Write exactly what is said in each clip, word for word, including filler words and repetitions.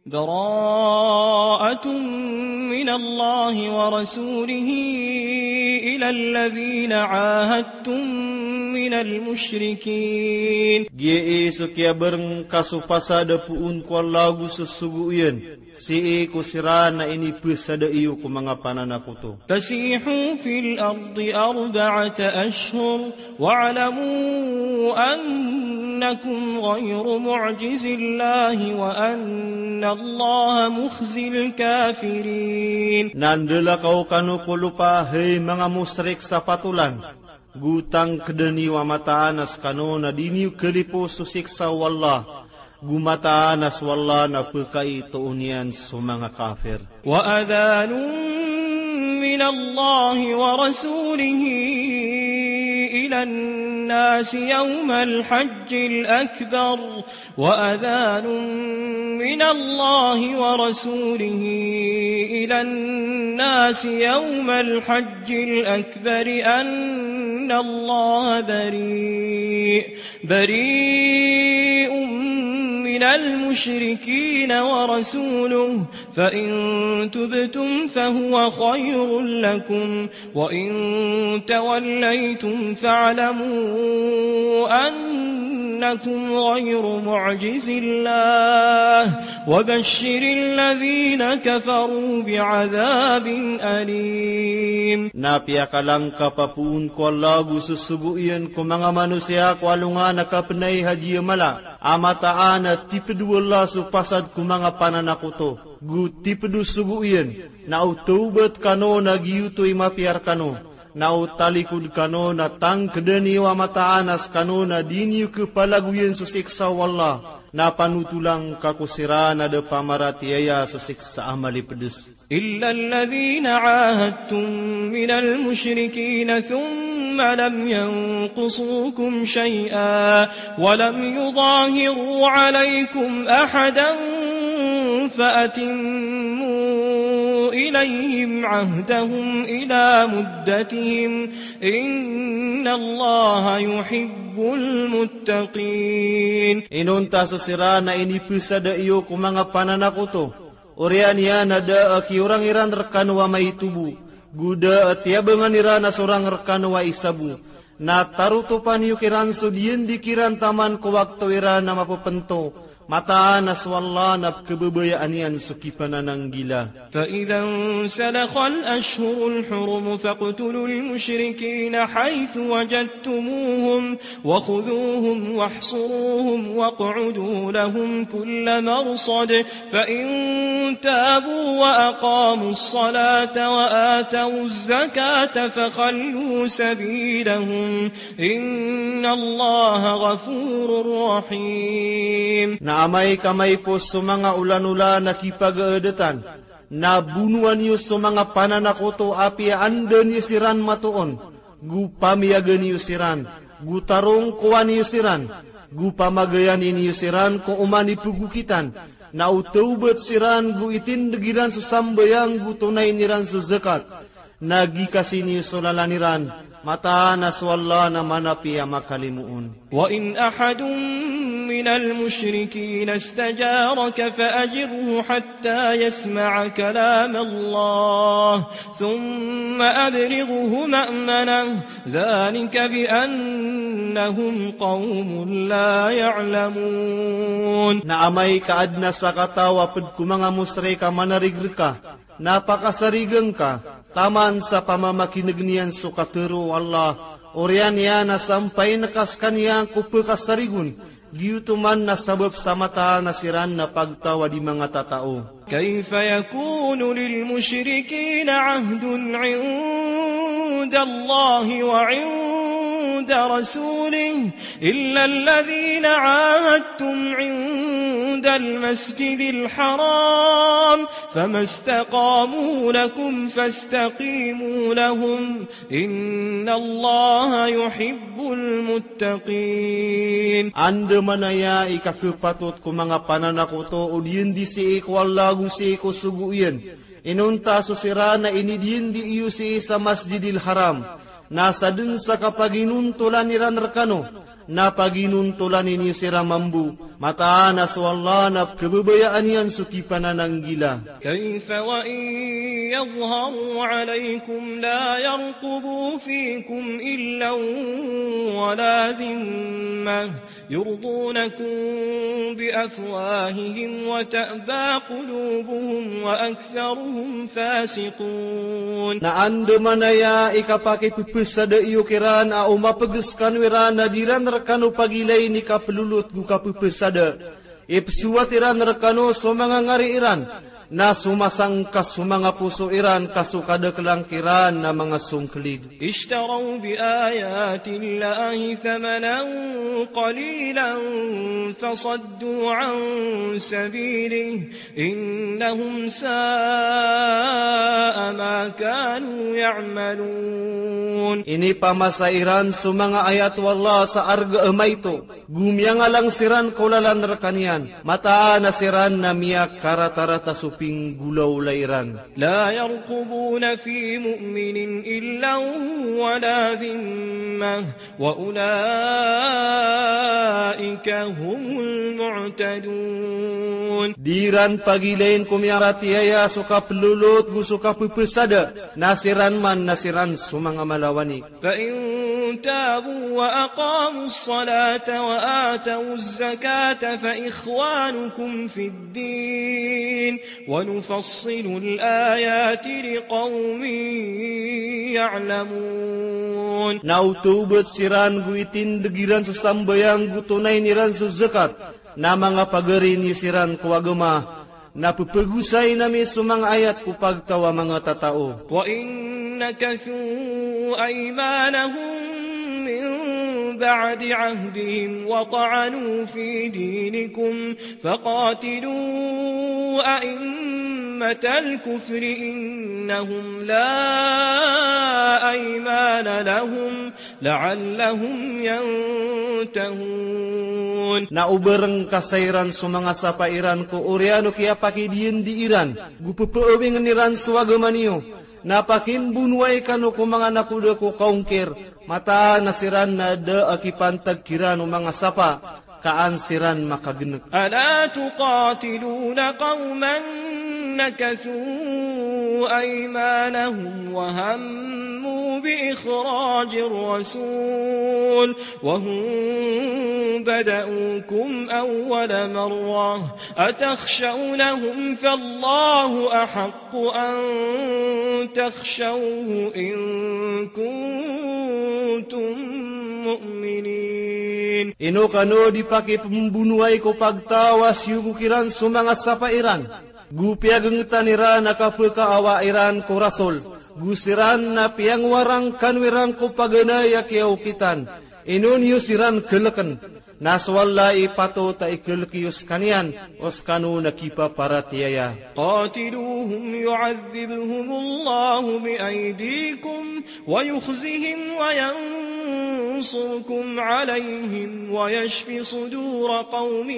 براءة من الله ورسوله إلى الذين عاهدتم من المشركين. Giya i so kiyabareng ka so pasad a poon ko Allah ago so sogo iyan, sii ko siran a inipesada iyo ko manga pananakoto. فسيحوا في الأرض أربعة أشهر واعلموا أنكم غير معجز الله وأن الله مخزي الكافرين. Na ndalakaw kano ko lopa, hay manga mosrik, sa pat olan, go tangkeda niyo a mataan a sekano na di niyo kelipo so siksa o Allah, go mataan a so Allah na pekaitoon iyan so manga kafir. وأذان من الله ورسوله إلى الناس يوم الحج الأكبر، وأذان من الله ورسوله إلى الناس يوم الحج الأكبر أن الله بريء، بريء من المشركين ورسوله، فإن تبتم فهو خير لكم، وإن توليتم فاعلموا أنكم غير معجز الله، وبشر الذين كفروا بعذاب أليم. Na piyakalangkap a poon ko Allah ago so sogo iyan ko manga manosiya ko alongan a kapenay haji a mala, a mataan a tiped o Allah so pasad ko manga pananakoto, go tiped o sogo iyan, na o tawbat kano na giyoto i mapiya rekano, na o talikod kano na tangkeda niyo a mataan a sekano na di niyo kepalagoyan so siksa o Allah, na panotolang ka ko siran a da pamaratiyaya so siksa a malipedes. إلا الذين عاهدتم من المشركين ثم لم ينقصوكم شيئا ولم يظاهروا عليكم أحدا فأتموا إليهم عهدهم إلى مدتهم إن الله يحب المتقين. Inonta so siran a inipesada iyo ko manga pananakoto, oriyan iyan a da a kiyorang iran rekano a maito bo, go da a tiyabangan iran a sorang rekano a isa bo, na tarotopan iyo kiran so diyandi kiran taman ko wakto iran a mapepento, mataan a so Allah na pekebabayaan iyan so kipanananggila. فإذا انسلخ الأشهر الحرم فاقتلوا المشركين حيث وجدتموهم وخذوهم واحصروهم واقعدوا لهم كل مرصد، فإن تابوا وأقاموا الصلاة وآتوا الزكاة فخلوا سبيلهم إن الله غفور رحيم. Na amay ka maipos so manga olanolan a kipagaadatan, na bonoa niyo so manga pananakoto apiya anda niyo siran matoon, go pamiyaga niyo siran, go tarongkowa niyo siran, go pamagayani niyo siran ko oman i pegokitan, na o tawbat siran go itindeg iran so sambayang go tonayn iran so zakat, na gikasi niyo so lalan iran, mataan a so Allah na manapiya makalimoon. وإن أحد من المشركين استجارك فأجره حتى يسمع كلام الله ثم أبلغه مأمنه ذلك بأنهم قوم لا يعلمون. Na amay ka aden a sakataw a ped ko manga mosrik a manarig reka, na pakasarigen ka taman sa pamamakineg niyan so katero o Allah, oriyan iyan a sampayen ka sekaniyan ko pekasarigon, giyoto man na sabap sa mataan a siran na pagtaw a di manga tatao. كيف يكون للمشركين عهد عند الله وعند رسوله إلا الذين عاهدتم عند المسجد الحرام فما استقاموا لكم فاستقيموا لهم إن الله يحب المتقين. Andamanaya i kakepatot ko manga pananakoto o diyandi sii ko Allah ago sii ko sogo iyan, inonta so siran a inidiyandi iyo sii sa Masjidil Haram, na saden sa kapaginontolan iran rekano, Na paginontolan iyo siran mambo. Mataan a so Allah na pkhababayaan iyan so kipanananggila. كيف وإن يظهروا عليكم لا يرقبوا فيكم إلا ولا ذمة يرضونكم بأفواههم وتأبى قلوبهم وأكثرهم فاسقون. Na andamanaya i kapakipphasada iyo kiran a o mapgs kano iran na di ran rkano pagilayn i kaplolot go kapphasada. Ipsowat iran rkano so manga ngari iran, na somasangka so manga poso iran ka so kadaklan kiran na manga songklid. اشتروا بآيات الله ثمنا قليلا فصدوا عن سبيله إنهم ساء ما كانوا يعملون. Inipamasa iran so manga ayat o Allah sa arga a maito, go miyangalang siran ko lalan rkaniyan. Mataan a siran na miyakaratarata so pinggolawla iran. لا يرقبون في مؤمن إلا ولا ذمة وأولئك هم المعتدون. Di ran pagilayn ko miyaratiyaya so kaplolot go so kapphasada, na siran man na siran so manga malawani. فإن تابوا وأقاموا الصلاة وآتوا الزكاة فإخوانكم في الدين ونفصل الآيات لقوم يعلمون. Na o tawbat siran go itindg iran so sambayang go tonayn iran so zakat, na manga pagari niyo siran ko agama, na pphagosay ami so manga ayat ko pagtaw a manga tatao. وإن نكثوا أيمانهم من بعد عهدهم وطعنوا في دينكم فقاتلوا أئمة الكفر إنهم لا أيمان لهم لعلهم ينتهون. Na o ba rngkasa iran so manga sapa iran ko oriyan o kiyapakidiyandi iran, go pphawingn iran so agama niyo, na pakimbonowai kano ko manga nakoda ko kaongkir, mataan a siran na da a kipantag kiran o manga sapa, ka an siran makagnk. ألا تقاتلون قوما نكثوا أيمانهم وهموا بإخراج الرسول وهم بدؤوكم أول مرة أتخشونهم فالله أحق أن تخشوه إن كنتم مؤمنين. Ino kano di pakipmbonowai ko pagtaw a siyogo kiran so manga sapa iran, go piyagngtan iran a kapkaawa iran ko Rasul, go siran na piyangwarang kano iran ko paganay a kiyaokitan. Ino niyo siran klkn, na so Allah i patot a iklk iyo skaniyan, o skano na kipaparatiyaya. قاتلوهم يعذبهم الله بأيديكم ويخزهم وينصركم عليهم ويشف صدور قوم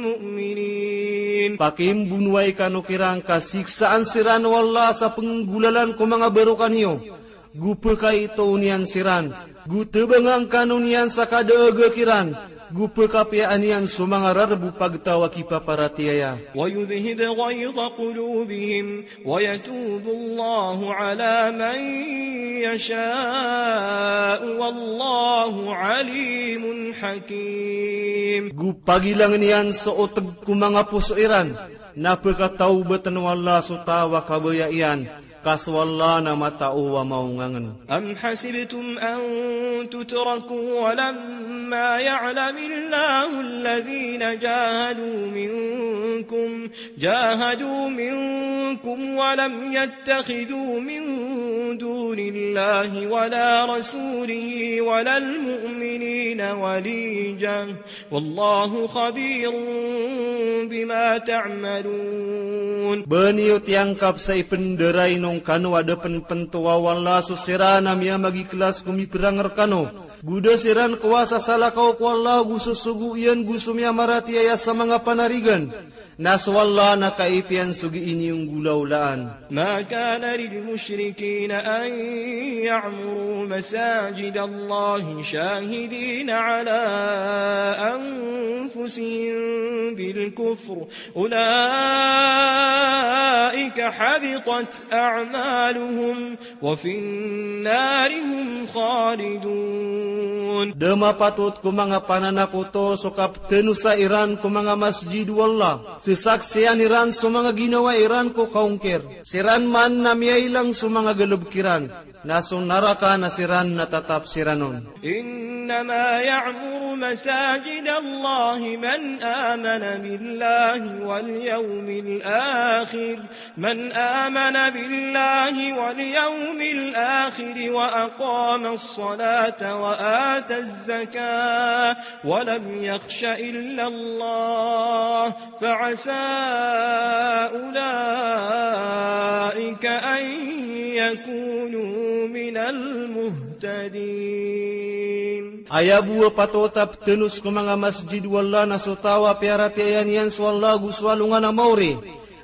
مؤمنين. Pakimbonowai kano kiran ka siksaan siran o Allah sa pnggolalan ko manga barokah niyo. Go pkaitoon iyan siran, go tbangan kano niyan sa kadaaga kiran, go pkapiyaan iyan so manga rarb o pagtaw a kipaparatiyaya. ويذهب غيظ قلوبهم ويتوب الله على من يشاء والله عليم حكيم. Go pagilangn iyan so otg ko manga poso iran, na pkatawbatn o Allah so taw a kabaya iyan, ka so Allah na matao a maongangn. أم حسبتم أن تتركوا ولما يعلم الله الذين جاهدوا منكم جاهدوا منكم ولم يتخذوا من دون الله ولا رسوله ولا المؤمنين وليجة والله خبير بما تعملون. Ba niyo tiyangkap sa ipndaray o ngkano a da pnpntowa o Allah so siran a miyamagiklas ko miprang rkano, go da siran kowasa salakaw ko Allah go sosogo iyan go so miyamaratiyaya sa manga panarigan. Na so Allah na kaipiya niyan so gii niyo nggolawlaan. ما كان للمشركين أن يعمروا مساجد الله شاهدين على أنفسهم بالكفر أولئك حبطت أعمالهم وفي النار هم خالدون. Da mapatot ko manga pananakoto so kaptenosa iran ko manga masjid o Allah, sesaksian iran so manga ginawa iran ko kaongkir. Siran man na miyailang so manga galebek iran, na so naraka na siran na tatap siran on. إنما يعمر مساجد الله من آمن بالله واليوم الآخر من آمن بالله واليوم الآخر وأقام الصلاة وآتى الزكاة ولم يخش إلا الله فعسى أولئك أن يكونوا من المهتدين. Aya bo a patot a ptenos ko manga masjid o Allah na so taw a piyaratiyaya niyan so Allah go so alongan a maori,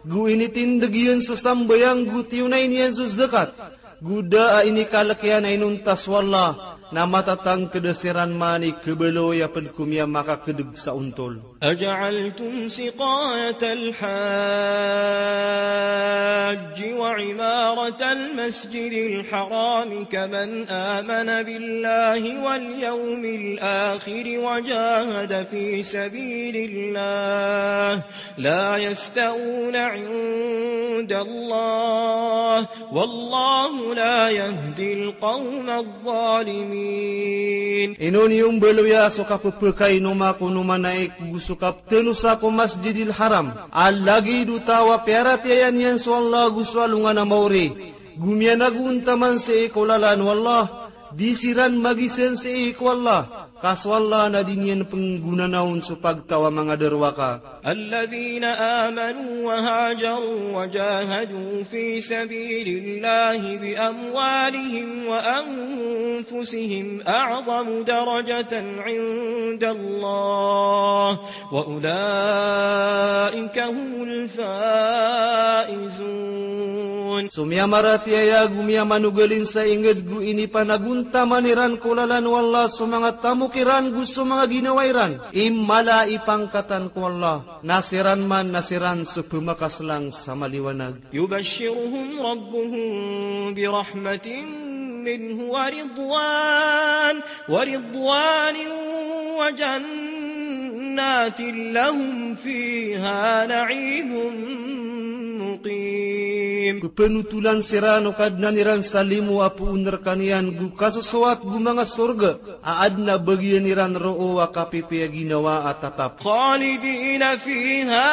go initindeg iyan so sambayang go tiyonay niyan so zakat, go da a inikalek iyan a inonta so Allah, na matatangked a siran man i kebaloy a ped ko miyamakakedeg sa ontol. أجعلتم سقاية الحاج وعمارة المسجد الحرام كمن آمن بالله واليوم الآخر وجاهد في سبيل الله لا يستوون عند الله والله لا يهدي القوم الظالمين. Ino niyo mbaloya so kapepekainoma ko nomanaik go so kaptenosa ko Masjidil Haram a lagid o taw a piyaratiyaya niyan so Allah go so alongan a maori, go miyanagontaman sii ko lalan o Allah, di siran magisan sii ko Allah, ka so Allah na di niyan penggonanaon so pagtaw a manga darowaka. الذين آمنوا وهاجروا وجاهدوا في سبيل الله بأموالهم وأنفسهم أعظم درجة عند الله وأولئك هم الفائزون. So miyamaratiyaya go miyamanogalin sa inged go inipanagontaman iran ko lalan o Allah so manga tamok iran go so manga ginawa iran i mala i pangkatan ko Allah, na siran man na siran so pemakaslang sa maliwanag. يبشرهم ربهم برحمة منه ورضوان ورضوان وجنات لهم فيها نعيم مقيم. Pepenotolan siran o Kadnan iran sa limo a poon rekaniyan go kasosowat go manga sorga a aden a bagian iran roo a kapipiya ginawa a tatap. خالدين فيها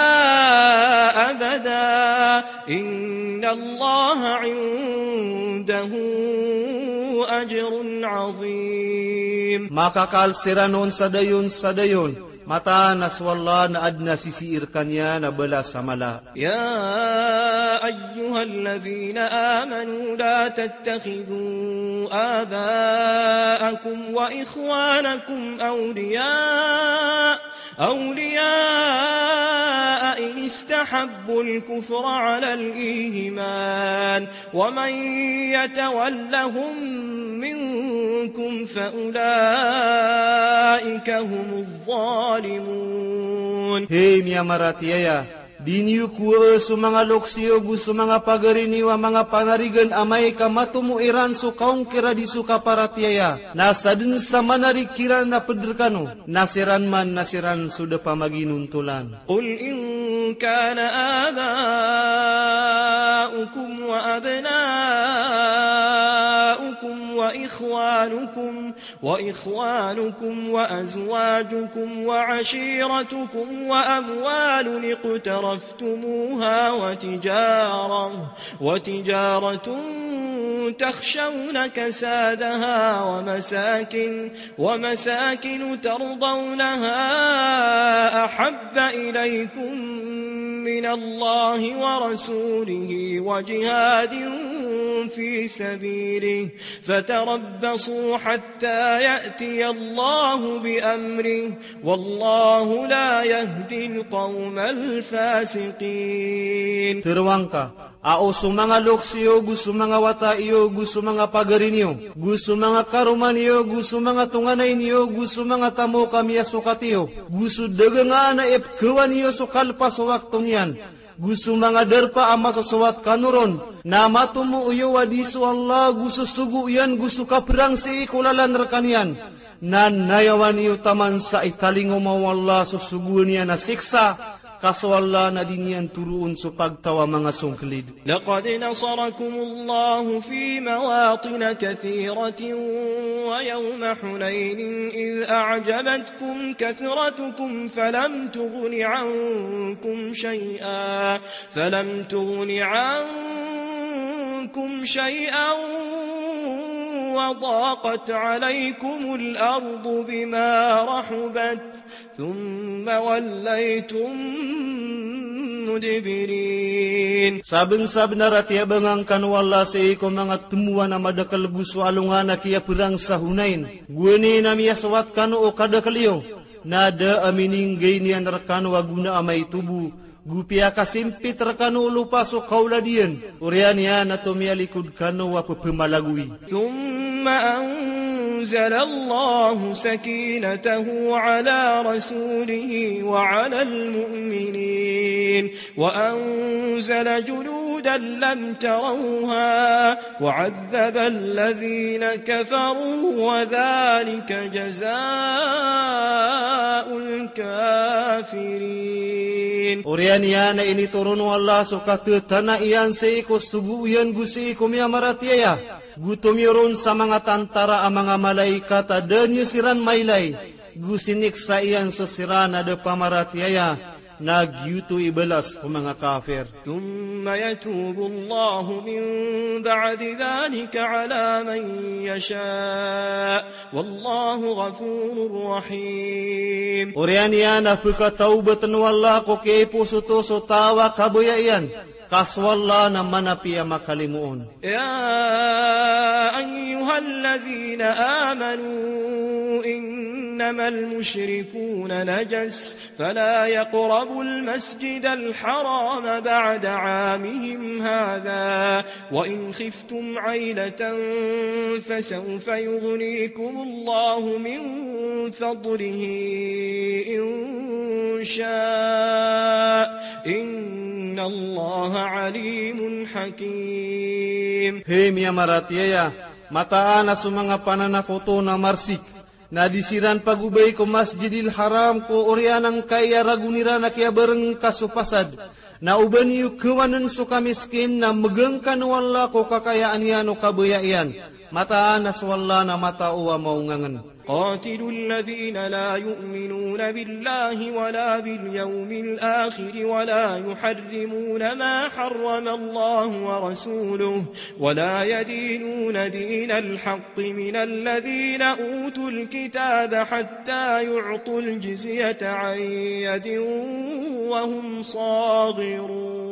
أبدا إن الله عنده أجر عظيم. Makakal siran on sa dayon sa dayon, mataan a so Allah na aden a sisii rekaniyan a balas a mala. يا أيها الذين آمنوا لا تتخذوا آباءكم وإخوانكم أولياء أولياء إن استحبوا الكفر على الإيمان ومن يتولهم منكم فأولئك هم الظالمون. Hey miyamaratiyaya, di niyo kowaa so manga loks iyo go so manga pagari niyo a manga panarigan amay ka matomo iran so kaongkir a di so kaparatiyaya, na saden sa manarig kiran a ped rekano, na siran man na siran so da pamaginontolan. قل إن كان آباؤكم وأبناؤكم وإخوانكم وإخوانكم وأزواجكم وعشيرتكم وأموال اقترفتموها وتجارة وتجارة تخشون كسادها ومساكن ومساكن ترضونها أحب إليكم من الله ورسوله وجهاد في سبيله فتربصوا حتى يأتي الله بأمره والله لا يهدي القوم الفاسقين. Tharoang ka, a o so manga loks iyo, go so manga wata iyo, go so manga pagari niyo, go so manga karoma niyo, go so manga tonganay niyo, go so manga tamok a miyasokat iyo, go so dagangan a ipkhawan iyo so kalpas o wakto niyan, go so manga darpa a masosowat kano ron, na matomo iyo a di so Allah go sosogo iyan go so kaprang sii ko lalan rkaniyan, na nayawan iyo taman sa italingoma o Allah so sogoan iyan a siksa, ka so Allah na di niyan toroon so pagtaw a manga songklid. لقد نصركم الله في مواطن كثيرة ويوم حنين إذ أعجبتكم كثرتكم فلم تغن عنكم شيئا، فلم تغن عنكم شيئا وضاقت عليكم الأرض بما رحبت ثم وليتم مدبرين. Sabnsabnar a tiyabangan kano o Allah sii ko manga tmowan a madakl go so alongan a kiyaprang sa Hunain. Gowani na miyasowat kano o kadakl iyo, na da a mininggay niyan rkano a gona a maito bo, go piyakasimpit rkano o lopa so kaolad iyan. Oriyan iyan a tomiyalikod kano a pphamalagoy. ثم أنزل الله سكينته على رسوله وعلى المؤمنين وأنزل جنودا لم تروها وعذب الذين كفروا وذلك جزاء الكافرين. Oriyan iyan a initoron o Allah so katatana iyan sii ko sogo iyan go sii ko miyamaratiyaya, go tomiyoron sa manga tantara a manga malaikat a da niyo siran mailay, go siniksa iyan so siran a da pamaratiyaya, na giyoto i balas ko manga kafir. ثم يتوب الله من بعد ذلك على من يشاء والله غفور رحيم. Oriyan iyan a pkatawbatn o Allah ko kiyaipos oto so taw a kabaya iyan, ka so Allah na manapiya makalimoon. يا أيها الذين آمنوا إنما المشركون نجس فلا يقربوا المسجد الحرام بعد عامهم هذا وإن خفتم عيلة فسوف يغنيكم الله من فضله إن شاء إن الله عليم حكيم. Hay miyamaratiyaya, mataan a so manga pananakoto na marsik, na di siran pagobay ko Masjidil Haram ko oriyan angkai a ragon iran a kiyabarng ka so pasad. Na o ba niyo khawann so kamiskin na mgangkan o Allah ko kakayaan iyan o kabaya iyan. Mataan a so Allah na matao a maongangn. قاتلوا الذين لا يؤمنون بالله ولا باليوم الآخر ولا يحرمون ما حرم الله ورسوله ولا يدينون دين الحق من الذين أوتوا الكتاب حتى يعطوا الجزية عن يد وهم صاغرون.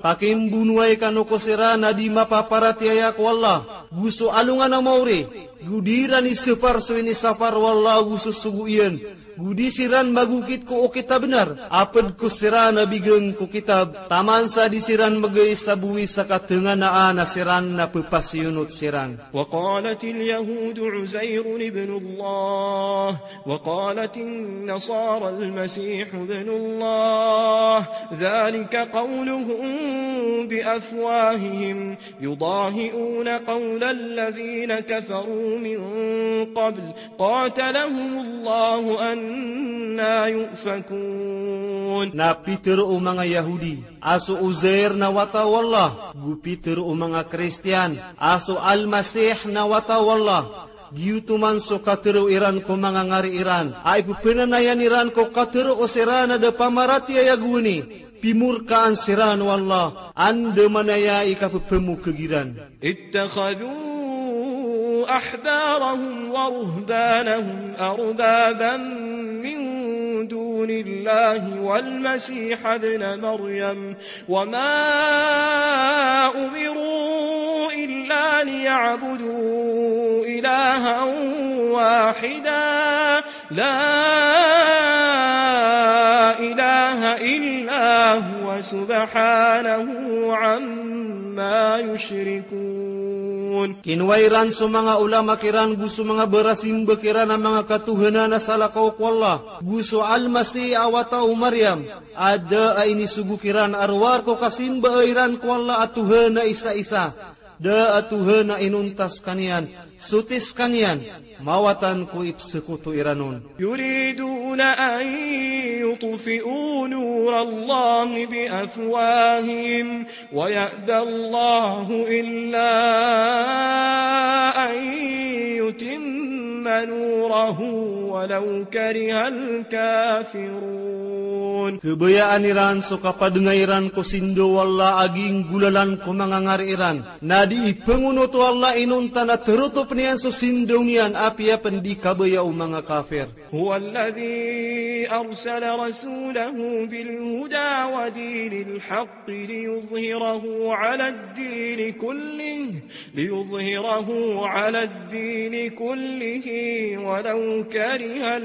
Pakimbonowai kano ko siran a di mapaparatiyaya ko Allah, go so alongan a maori, go di iran isapar so inisapar o Allah go so sogo iyan, go di siran magokit ko okit a bnar, a pd ko siran a bigan ko kitab, taman sa di siran mgay sa bowis a katanganaan a siran na pphasiyonot siran. وقالت اليهود عزير ابن الله وقالت النصارى المسيح ابن الله ذلك قولهم بأفواههم يضاهئون قول الذين كفروا من قبل قاتلهم الله أنا يؤفكون. Na pitharo o manga Yahudi a so Uzair na wata o Allah, go pitharo o manga Kristiyan a so Al-Masih na wata o Allah. Giyoto man so katharo iran ko manga ngari iran a ipphanayan iran ko katharo o siran a da pamaratiyaya gowani, pimorkaan siran o Allah, andamanaya i kapphmokg iran. اتخذوا أحبارهم ورهبانهم أربابا من دون الله والمسيح ابن مريم وما أمروا إلا ليعبدوا إلها واحدا لا إله إلا هو سبحانه عما يشركون. Kinowa iran so manga ulama kiran go so manga barasimba kiran a manga katohanan a salakaw ko Allah, go so Almasih a wata o Maryam, a da a inisogo kiran a rowar ko kasimba iran ko Allah a Tohan a isa-isa. Da a Tohan a inonta skaniyan, soti skaniyan, mawatan ko ipsekoto iran on. يريدون أن يطفئوا نور الله بأفواههم ويأبى الله إلا أن يتم نوره ولو كره الكافرون. Kabayaan iran so kapadngay iran ko sindaw o Allah a ginggolalan ko manga ngari iran. Na di ipengonot o Allah inonta na terotop niyan so sindaw niyan apiya pen di kabaya o manga kafir. هو الذي أرسل رسوله بالهدى ودين الحق ليظهره على الدين كله، ليظهره على الدين كله ولو كره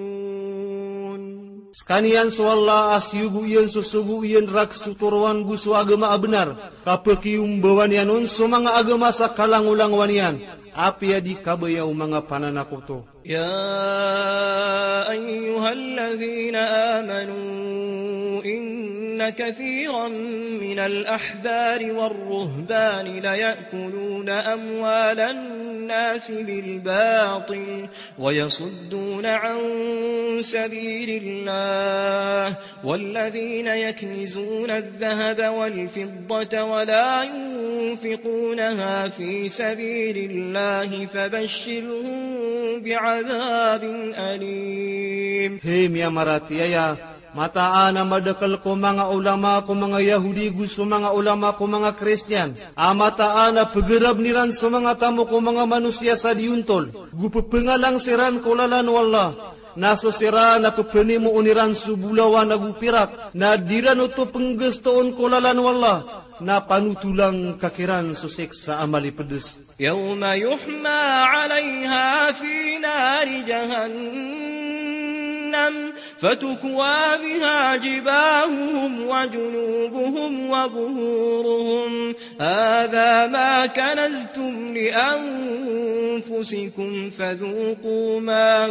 المشركون. Skaniyan so Allah a siyogo iyan so sogo iyan rakhs o toroan go so agama a benar, kapekiyombawan iyan on so manga agama sa kalangolangowan iyan, apiya di kabaya o manga pananakoto. يا أيها الذين آمنوا إن كثيرا من الأحبار والرهبان ليأكلون أموال الناس بالباطل ويصدون عن سبيل الله والذين يكنزون الذهب والفضة ولا ينفقونها في سبيل الله فبشرهم بعذاب أليم. Hay miyamaratiyaya, mataan a madakel ko manga olama ko manga Yahudi go so manga olama ko manga Kristiyan a mataan a pegerabn iran so manga tamok o manga manosiya sa di ontol, go pepengalang siran ko lalan o Allah. Na so siran a pepenimoon iran so bolawan ago pirak, na di ran oto penggestoon ko lalan o Allah, na panotolang ka kiran so siksa a malipedes. يوم يحمى عليها في نار جهنم فتكوى بها جباههم وجنوبهم وظهورهم هذا ما كنزتم لأنفسكم فذوقوا ما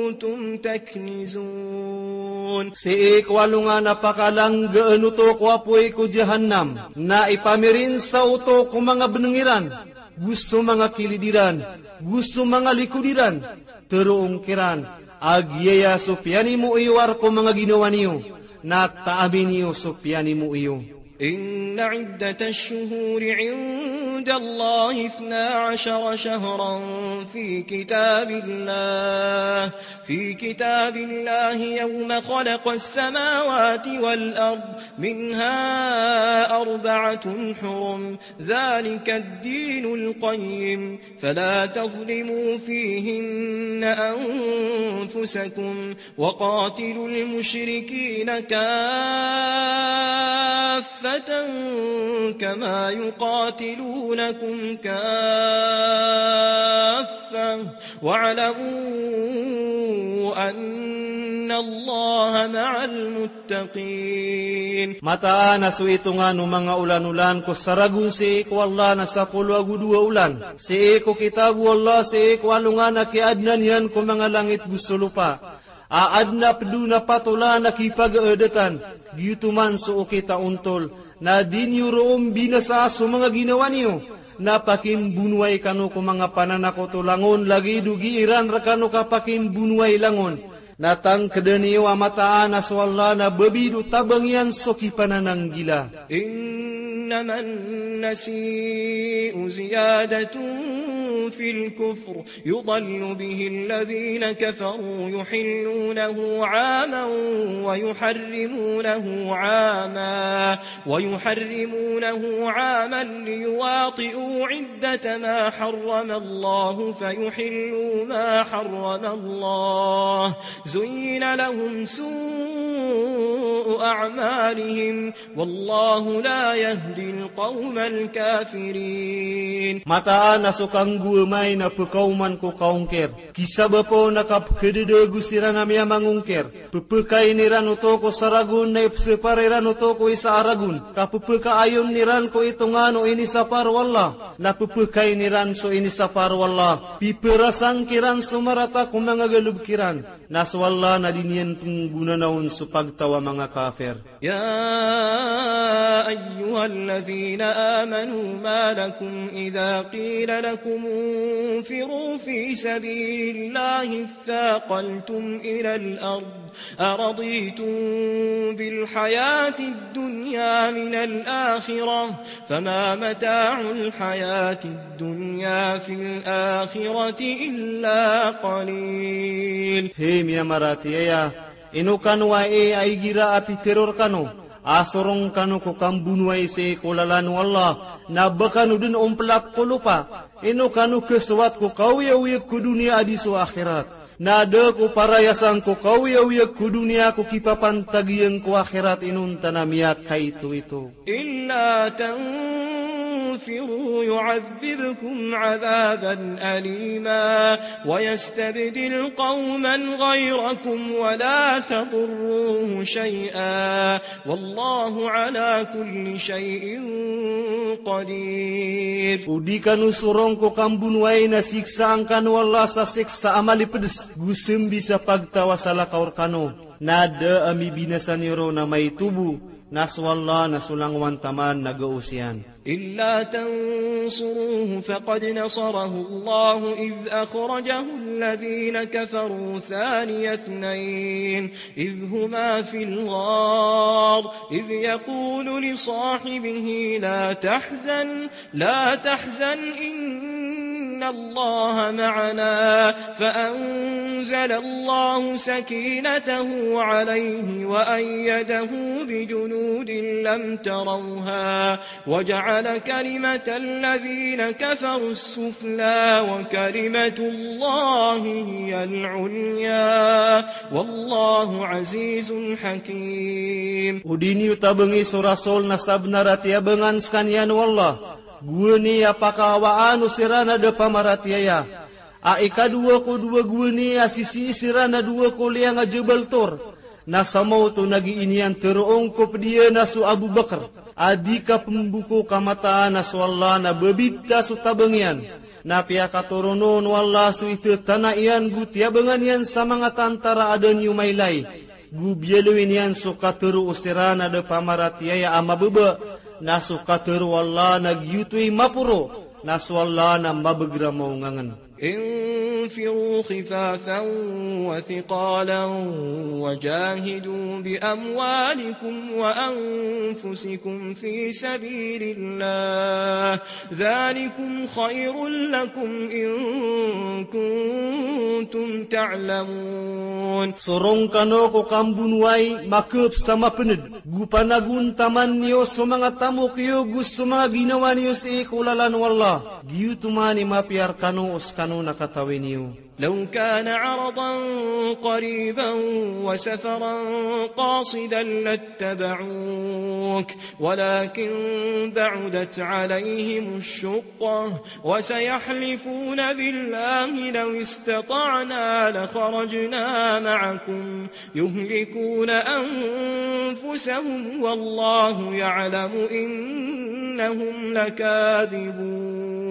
كنتم تكنزون. Sii ko alongan a pakalanggaan oto ko apoy ko Jahannam, na ipamirinsa oto ko manga beneng iran, go so manga kilid iran, go so manga likod iran, teroon kiran a giyaya so piyanimo iyo a rk o manga ginawa niyo, na taami niyo so piyanimo iyo. إن عدة الشهور عند الله اثنا عشر شهرا في كتاب الله، في كتاب الله يوم خلق السماوات والأرض منها أربعة حرم ذلك الدين القيم فلا تظلموا فيهن أنفسكم وقاتلوا المشركين كافة كما يقاتلونكم كافة واعلموا أن الله مع المتقين. Mataan a so itongan o manga olan-olan ko saragon sii ko Allah na sapolo ago dowa olan. Sii ko kitab o Allah, sii ko alongan a kiyaadna niyan ko manga langit go so lopa. A adn a pd on a patolan a kipagaadatan, giyoto man so okit a ontol, na di niyo roo mbinasa so manga ginawa niyo, na pakimbonowai kano ko manga pananakoto langon, lagid o gii ran rkano kapakimbonowai langon, na tangkdn iyo a mataan a so Allah na babid o tabang iyan so kipanananggila. إنما النسيء زيادة في الكفر يضل به الذين كفروا يحلونه عاما ويحرمونه عاما، ويحرمونه عاما ليواطئوا عدة ما حرم الله فيحلوا ما حرم الله. زين لهم سوء أعمالهم والله لا يهدي القوم الكافرين. Mataan a so kanggoamay na pkaoman ko kaongkir. Kisabap on na kapkdada ago siran a miyamangongkir. Ppkain iran oto ko saragon na ipsapar iran oto ko isa a ragon. Kappkaayon iran ko itongan o inisapar o Allah. Na ppkain iran so inisapar o Allah. Piprasang kiran so marata ko manga galbk iran. Na so Allah na di niyan pnggonanaon so pagtaw a manga kafir. يا أيها الذين آمنوا ما لكم إذا قيل لكم انفروا في سبيل الله اثاقلتم إلى الأرض أرضيتم بالحياة الدنيا من الآخرة فما متاع الحياة الدنيا في الآخرة إلا قليل. Hay miyamaratiyaya, ino kano ai a igira a pitharo rkano a sorong kano ko kambonowai sii ko lalan o Allah, na ba kano dn omplap ko lopa? Ino kano khasowat ko kaoyagoyag ko doniya a di so akhirat? Na da ko parayasan ko kaoyagoyag ko doniya ko kipapantag iyan ko akhirat inonta na miyakaitoito. إلا تنفروا يعذبكم عذابا أليما ويستبدل قوما غيركم ولا تضروه شيئا والله على كل شيء قدير. O di kano sorong ko kambonowai na siksaan kano o Allah sa siksa a malipds, go sambi sa pagtaw a salakaw rkano. Na da a mibinasa niyo roo na maito bo, na so Allah na so langowan taman na gaos iyan. إلا تنصروه فقد نصره الله إذ أخرجه الذين كفروا ثاني اثنين إذ هما في الغار إذ يقول لصاحبه لا تحزن لا تحزن إن الله معنا فأنزل الله سكينته عليه وأيده بجنود لم تروها وجعل كلمة الذين كفروا السفلى وكلمة الله هي العليا والله عزيز حكيم. O di niyo tabangi so Rasul na sabnar a tiyabangan skaniyan o Allah. Gowani a pakahawaan o siran a da pamaratiyaya. A ikadowa ko dowa gowani a sisii siran a dowa ko liyang a Jabal Tur. Na sa maoto na gii niyan tharoon ko pd iyan a so Abu Bakr a di kapmboko ka mataan a so Allah na babita so tabang iyan. Na piyakatoron on o Allah so ithatana iyan go tiyabangan iyan sa manga tantara a da niyo mailay. Go biyaloy niyan so katharo o siran a da pamaratiyaya a mababa, na so katharo o Allah na giyoto i maporo, na so Allah na mabagramaw ngangn. انفروا خفافا وثقالا وجاهدوا بأموالكم وأنفسكم في سبيل الله ذلكم خير لكم إن كنتم تعلمون. Sorong kano ko kambonowai, makhap sa mapnd, go panagontaman iyo so manga tamok iyo go so manga ginawa niyo sii ko lalan o Allah. Giyoto man i mapiya rkano o skano na katawi niyo. لو كان عرضا قريبا وسفرا قاصدا لاتبعوك ولكن بعدت عليهم الشقة وسيحلفون بالله لو استطعنا لخرجنا معكم يهلكون أنفسهم والله يعلم إنهم لكاذبون.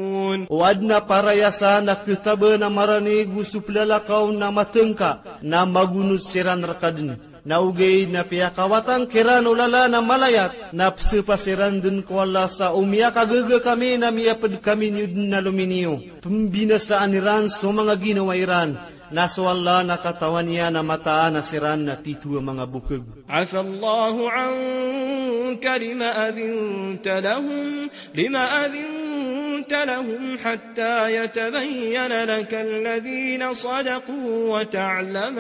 O adn a parayasan a khataban a marani go so plalakaw na matngka, na magonot siran rka dn. Na ogaid na piyakawatang kiran o lalan a malayat, na psapa siran dn ko Allah sa o miyakagaga kami na miyapd kami niyo dn a lominiyo. Pmbinasaan iran so manga ginawa iran. Na so Allah na katawan iyan a mataan a siran na titho a manga bokg. عفا الله عنك لم أذنت لهم، لم أذنت لهم حتى يتبين لك الذين صدقوا وتعلم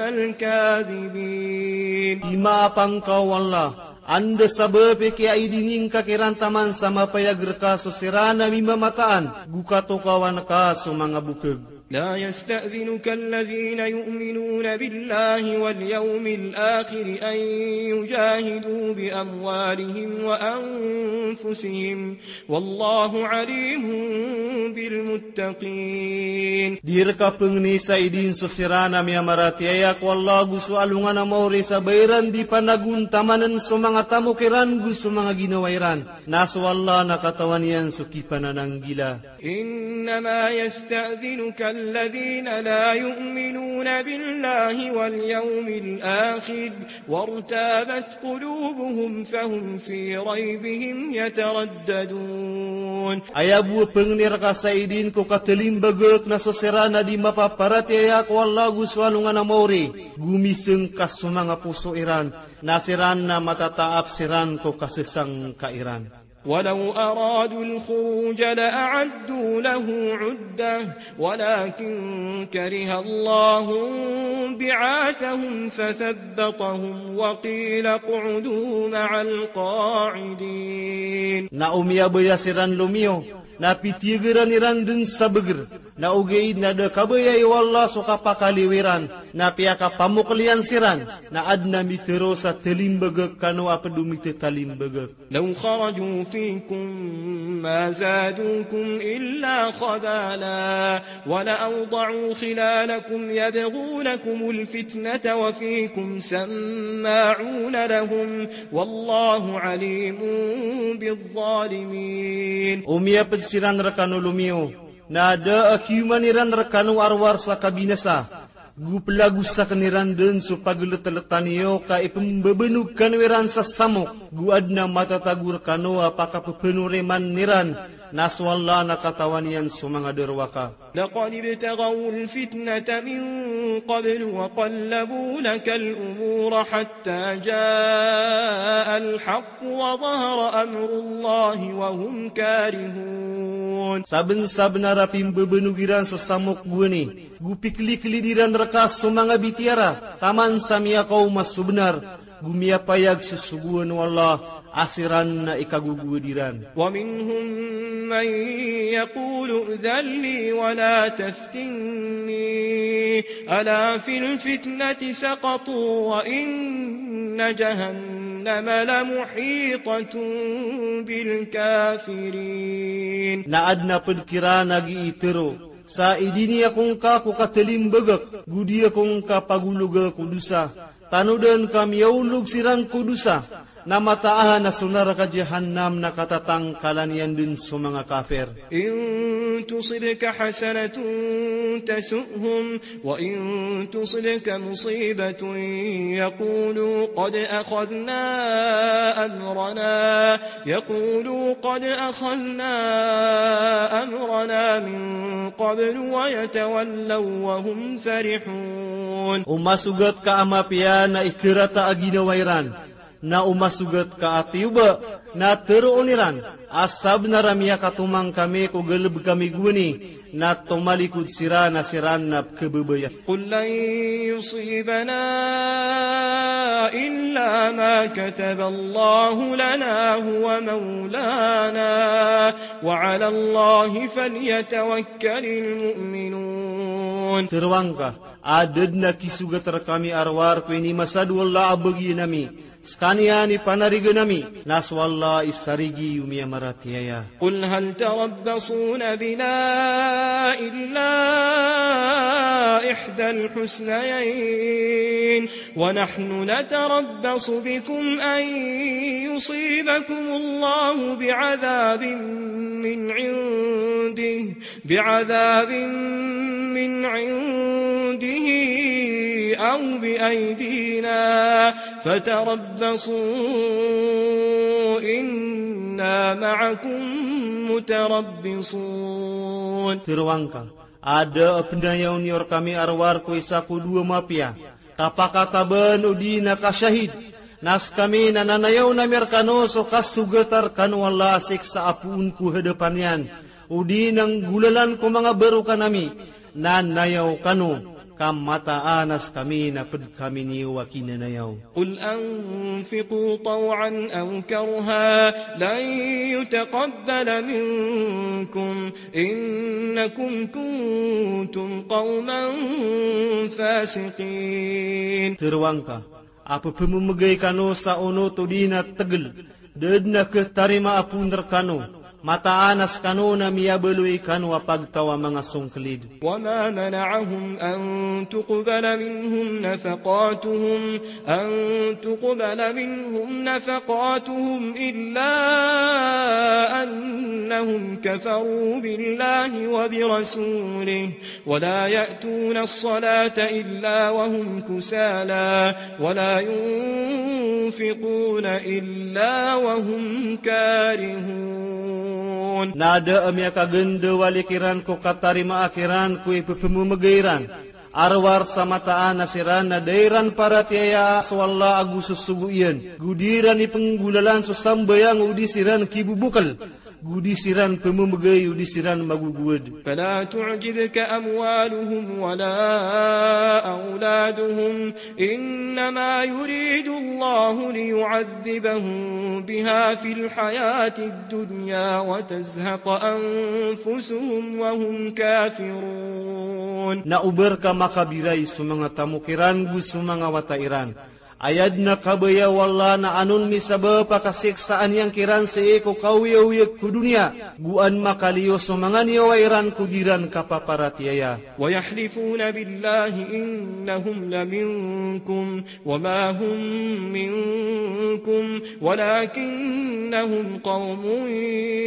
الكاذبين. Imaapa ngka o Allah, anda sabap i kiyaidini ngka kiran taman sa mapayag rka so siran a mimamataan, go katokawan ka so manga bokg. لا يستأذنك الذين يؤمنون بالله واليوم الآخر أن يجاهدوا بأموالهم وأنفسهم والله عليم بالمتقين. Di rka pngni sa idin so siran a miyamaratiyaya ko Allah ago so alongan a maori sa ba iran di panagontamann so manga tamok iran go so manga ginawa iran. Na so Allah na katawan iyan so kipanananggila. إنما يستأذنك الذين لا يؤمنون بالله واليوم الآخر وارتابت قلوبهم فهم في ريبهم يترددون. Aya bo a pngni rka sa idin ko katalimbagak na so siran a di mapaparatiyaya ko Allah ago so alongan a maori, go misngka so manga poso iran, na siran na matataap siran ko kasasangka iran. ولو أرادوا الخروج لأعدوا له عدة ولكن كره الله انبعاثهم فثبطهم وقيل اقعدوا مع القاعدين. Na o miyabaya siran lomiyo, na pitiyagaran iran dn sa bagr, na ogaid na da kabaya o Allah so kapakaliyo iran, na piyakapamokl iyan siran, na adn a mitharo sa talimbagak kano a pd o mithatalimbagak. لو خرجوا فيكم ما زادوكم إلا خبالا ولأوضعوا خلالكم يبغونكم الفتنة وفيكم سماعون لهم والله عليم بالظالمين. O miyapd siran rkano lomiyo, na da a kiyoman iran rkano a rowar sa kabinasa, go plagosaken iran dn so pagltlta niyo ka ipmbabanog kano iran sa samok, go adn a matatago rkano a pakapphanoriman iran, na so Allah na katawan iyan so manga darowaka. لقد ابتغوا الفتنة من قبل وقلبوا لك الأمور حتى جاء الحق وظهر أمر الله وهم كارهون. Sabnsabnar a pimbabanog iran so samok gowani, go pikliklid iran rka so manga bitiyara, taman sa miyakaoma so bnar, go miyapayag so sogoan o Allah a siran na ikagogowad iran. ومنهم من يقول ائذن لي ولا تفتني ألا في الفتنة سقطوا وإن جهنم لمحيطة بالكافرين. Na adn a pd kiran a gii tharo, sa idini ako ngka ko katalimbagak, go di ako ngka pagologa ko dosa, tanodan ka miyaolog siran ko dosa, na mataan a so naraka Jahannam na katatangkalan iyan dn so manga kafir. إن تصبك حسنة تسؤهم وإن تصبك مصيبة يقولوا قد أخذنا أمرنا، يقولوا قد أخذنا أمرنا من قبل ويتولوا وهم فرحون. O masogat ka a mapiya na ikarata a ginawa iran, na o masogat ka a tiyoba na tharoon iran a sabnar a miyakatomang kami ko galb kami gowani, na tomalikod siran a siran na pkhababaya. قل لن يصيبنا إلا ما كتب الله لنا هو مولانا وعلى الله فليتوكل المؤمنون. Tharoang ka, a da dn a kisogat rkami a rowar ko inimasad o Allah a bagian ami, skaniyan i panarigan ami, na so Allah i sarigi o miyamaratiyaya. قل هل تربصون بنا إلا إحدى الحسنيين ونحن نتربص بكم أن يصيبكم الله بعذاب من عنده بعذاب من عنده أو بأيدينا فتربصوا إنا معكم متربصون. Tharoang ka, a da a pnayaw niyo rkami a rowar ko isa ko dowa mapiya, kapakataban odi na kashahid, na skami na nanayaw ami rkano so kasogat rkano o Allah a siksa a poon ko hadapan iyan, odi na nggolalan ko manga barokan ami, na nayaw kano Ka mataan a skami na pd kami niyo a kinanayaw. قل أنفقوا طوعا أو كرها لن يتقبل منكم إنكم كنتم قوما فاسقين. Tharoang ka a pphamemegay kano sa onot odi na tegel, da dn a khatarimaa pn rkano, mataan a skano na miyabaloy kano a pagtaw a manga songklid. وما منعهم أن تقبل منهم نفقاتهم، أن تقبل منهم نفقاتهم إلا أنهم كفروا بالله وبرسوله ولا يأتون الصلاة إلا وهم كسالى ولا ينفقون إلا وهم كارهون. Na da a miyakagndawali kiran ko katarimaa kiran ko ipphamemegay ran, a rowar sa mataan a siran na da iran paratiyayaa so Allah ago so sogo iyan, go di ran ipnggolalan so sambayang odi siran kibobokel, go di siran pmemegay odi siran magogowad. فلا تعجبك أموالهم ولا أولادهم إنما يريد الله ليعذبهم بها في الحياة الدنيا وتزهق أنفسهم وهم كافرون. Na oba rka makabiray so manga tamok iran go so manga wata iran. Aya dn a kabaya o Allah na an on misabap a kasiksaan iyan kiran sii ko kaoyagoyag ko doniya, go an makaliyo so manga niyawa iran ko di ran kapaparatiyaya. ويحلفون بالله إنهم لمنكم وما هم منكم ولكنهم قوم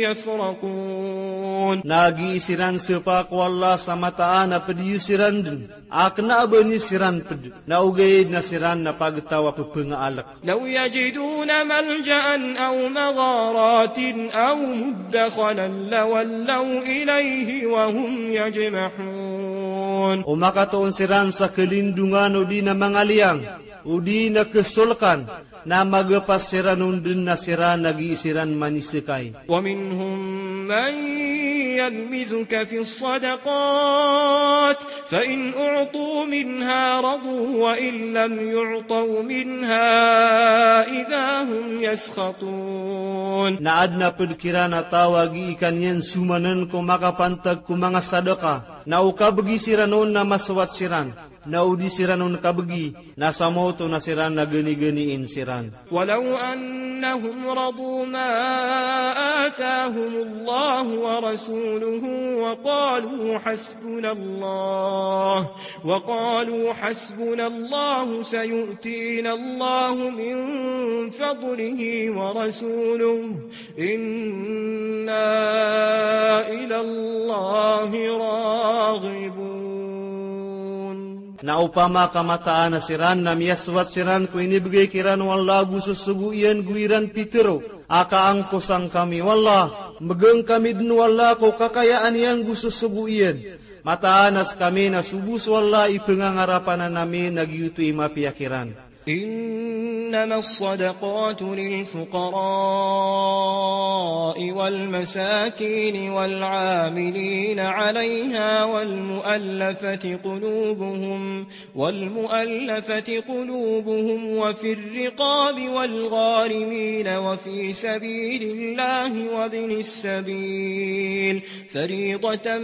يفرقون. Na gii siran sapa ko Allah sa mataan a pd iyo siran dn, a kna a ba niyo siran pd, na ogaid na siran na pagtaw a pphangaalakan. لو يجدون ملجأ أو مغارات أو مدخلا لولوا إليه وهم يجمحون. O makatoon siran sa kalindongan odi na manga liyang, odi na kasolkan, na magapas siran on dn na siran a gii siran maniskay. ومنهم من يلمزك في الصدقات فإن أعطوا منها رضوا وإن لم يعطوا منها إذا هم يسخطون. Na adn a pd kiran a taw a gii kaniyan somann ko makapantag ko manga sadaka, na o kabgi siran on na masowat siran, na o di siran on kabgi, na samoto na siran na ganiganiin siran. ولو أنهم رضوا ما آتاهم الله ورسوله وقالوا حسبنا الله، وقالوا حسبنا الله سيؤتينا الله من فضله ورسوله إنا إلى الله راغبون. Na opama ka mataan a siran na miyasowat siran ko inibgay kiran o Allah go so sogo iyan go iran pitharo a kaangkosa ngkami o Allah, mbgan kami dn o Allah ko kakayaan iyan go so sogo iyan. Mataan a skami na so bo so Allah i pngangarapan ami na giyoto i mapiya kiran. إنما الصدقات للفقراء والمساكين والعاملين عليها والمؤلفة قلوبهم، والمؤلفة قلوبهم وفي الرقاب والغارمين وفي سبيل الله وابن السبيل فريضة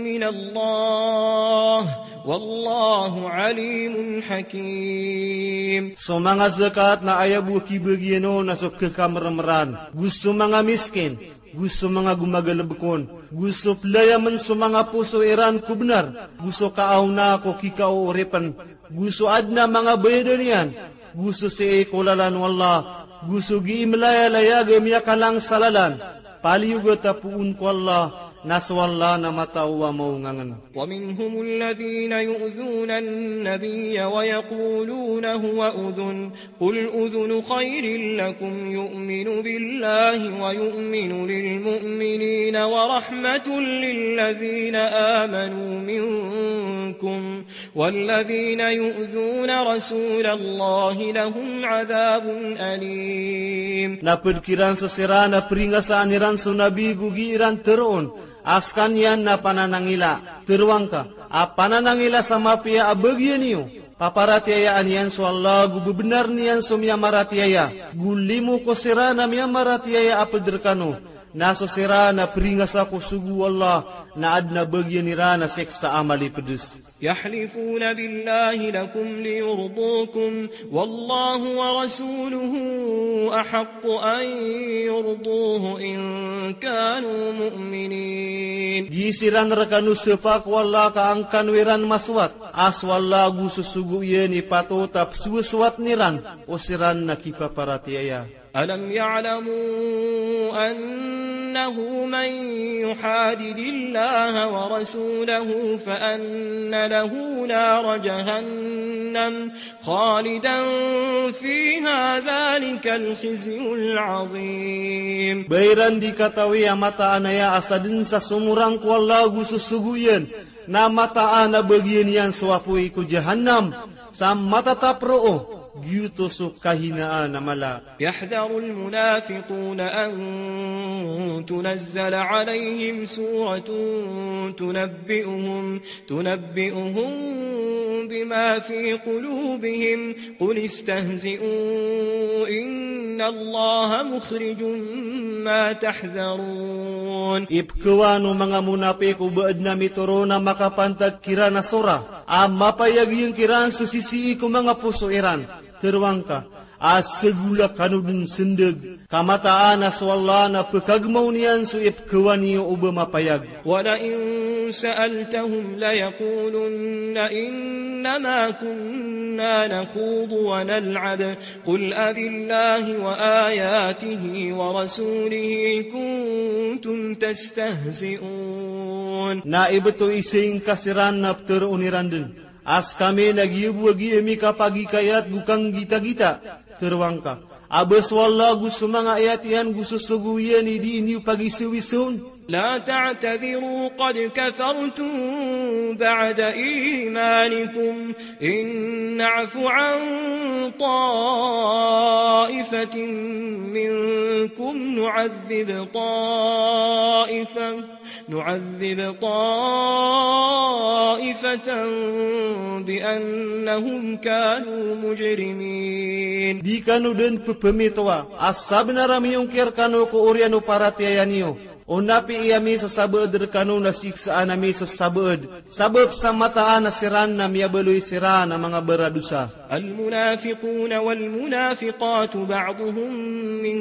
من الله والله عليم حكيم. So manga zakat na aya bo a kibagian on na so khakamrmran, go so manga miskin, go so manga gomagalbk on, go so playamen so manga poso iran ko bnar, go so kaaona ko kikaooripn, go so adn a manga bayadan iyan, go so sii ko lalan o Allah, go so gii mlayalayag a miyakalang sa lalan, paliyogat a poon ko Allah, na so Allah na matao a maongangn. ومنهم الذين يؤذون النبي ويقولون هو أذن، قل أذن خير لكم يؤمن بالله ويؤمن للمؤمنين ورحمة للذين آمنوا منكم والذين يؤذون رسول الله لهم عذاب أليم. Na pd kiran so siran a pringasaan iran so Nabi go gii ran tharoon A skaniyan na pananangila. Tharoang ka a pananangila sa mapiya a bagian iyo. Paparatiyayaan iyan so Allah go bebenar niyan so miyamaratiyaya. Go limo ko siran a miyamaratiyaya a ped rekano. Na so siran a peringasa ko sogo o Allah na aden a bagian iran a siksa a malipedes. يحلفون بالله لكم ليرضوكم والله ورسوله أحق أن يرضوه إن كانوا مؤمنين. Gii siran rekano sepa ko Allah ka angkano iran masowat a so Allah go so sogo iyan i patot a pesowasowat iran o siran na kipaparatiyaya. ألم يعلموا أنه من يحادد الله ورسوله فأن له نار جهنم خالدا فيها ذلك الخزي العظيم. Ba iran di katawi a mataan aya a saden sa somorang ko Allah go so sogo iyan na mataan a bagian iyan so apoy ko Jahannam sa matatap roo, giyoto so kahinaan a mala. يحذر المنافقون أن تنزل عليهم سورة تنبئهم، تنبئهم بما في قلوبهم، قل استهزئوا إن الله مخرج ما تحذرون. Ipkhawan o manga monapik o ba aden a mitoron a makapantag kiran a sora a mapayag iyan kiran so sisii ko manga poso iran. Tharoang ka a sagola kano den sendeg, ka mataan a so Allah na pekagemaw niyan so ipkhawan iyo o ba mapayag. ولئن سألتهم ليقولن إنما كنا نخوض ونلعب قل أبالله وآياته ورسوله كنتم تستهزئون. Na ibt o isaing ka siran na ptharoon iran den a skami na giya bo a giya mikapagikayat go kanggitagita. Tharoang ka a ba so Allah go so manga ayat iyan go so sogo iyan i dii niyo pagisawisawn. لا تعتذروا قد كفرتم بعد إيمانكم إن نعف عن طائفة منكم نعذب طائفة، نعذب طائفة بأنهم كانوا مجرمين. Di kano den pphamitowa a sabenar a miyongkir kano ko oriyan o paratiyaya niyo. O napiya ami so sabaad rekano na siksaan ami so sabaad. Sabap sa mataan a siran na miyabaloy siran a manga baradosa. المنافقون والمنافقات بعضهم من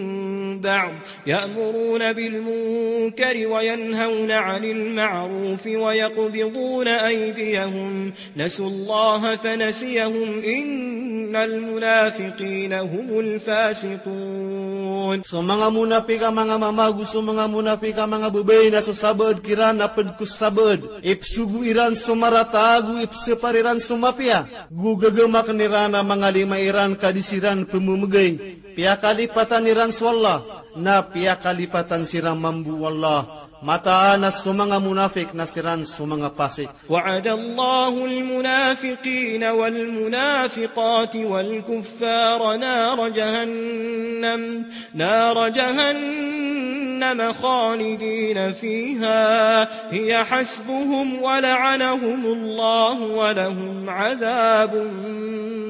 بعض يأمرون بالمنكر وينهون عن المعروف ويقبضون أيديهم نسوا الله فنسيهم إن المنافقين هم الفاسقون. So manga monapik a manga mama go so manga monapik a manga babay na so sabaad kiran a ped ko sabaad. Ipsogo iran so marata go ipsepar iran so mapiya. Go gagamaken iran a manga lima iran ka di siran pememegay. Piyakalipatan iran so Allah, na piyakalipatan siran mambo o Allah. Mataan a so manga monapik na siran so manga pasik. وعد الله المنافقين والمنافقات والكفار نار جهنم، نار جهنم خالدين فيها هي حسبهم ولعنهم الله ولهم عذاب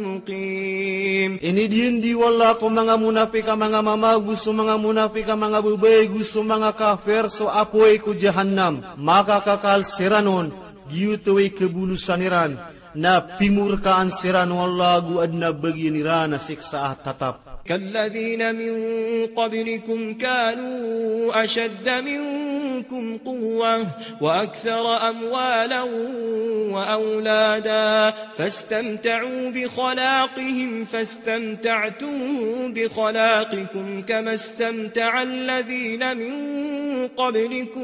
مقيم. Inidiyandi o Allah ko manga monapik a manga mama go so manga monapik a manga babay go so manga kafir so apoy ko Jahannam. Makakakal siran on, giyoto i kebolosan iran, na pimorkaan siran o Allah go aden a bagian iran a siksa a tatap. كالذين من قبلكم كانوا أشد منكم قوة وأكثر أموالا وأولادا فاستمتعوا بخلاقهم فاستمتعتم بخلاقكم كما استمتع الذين من قبلكم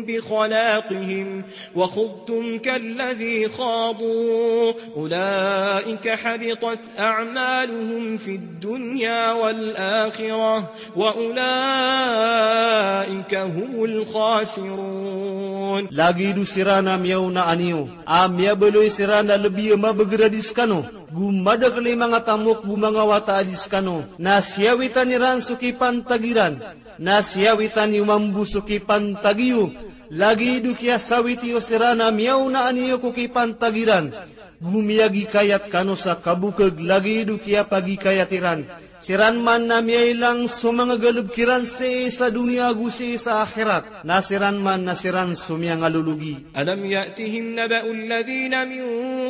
بخلاقهم وخضتم كالذي خاضوا أولئك حبطت أعمالهم في الدنيا والآخرة وأولئك هم الخاسرون. Lagid o siran a miyaona aniyo a miyabaloy siran a lebi a mabeger a di sekano, go madakel i manga tamok go manga wata a di sekano, na siyawitan iran so kipantag iran, na siyawitan iyo mambo so kipantag iyo, Lagid o kiyasawit iyo siran a miyaonaan iyo ko kipantag iran, go miyagikayat kano sa kabokeg, lagid o kiyapagikayat iran. Siran man na miyailang so manga galebek iran sii sa doniya ago sii sa akhirat, na siran man na siran so miyangalologi. ألم يأتهم نبأ الذين من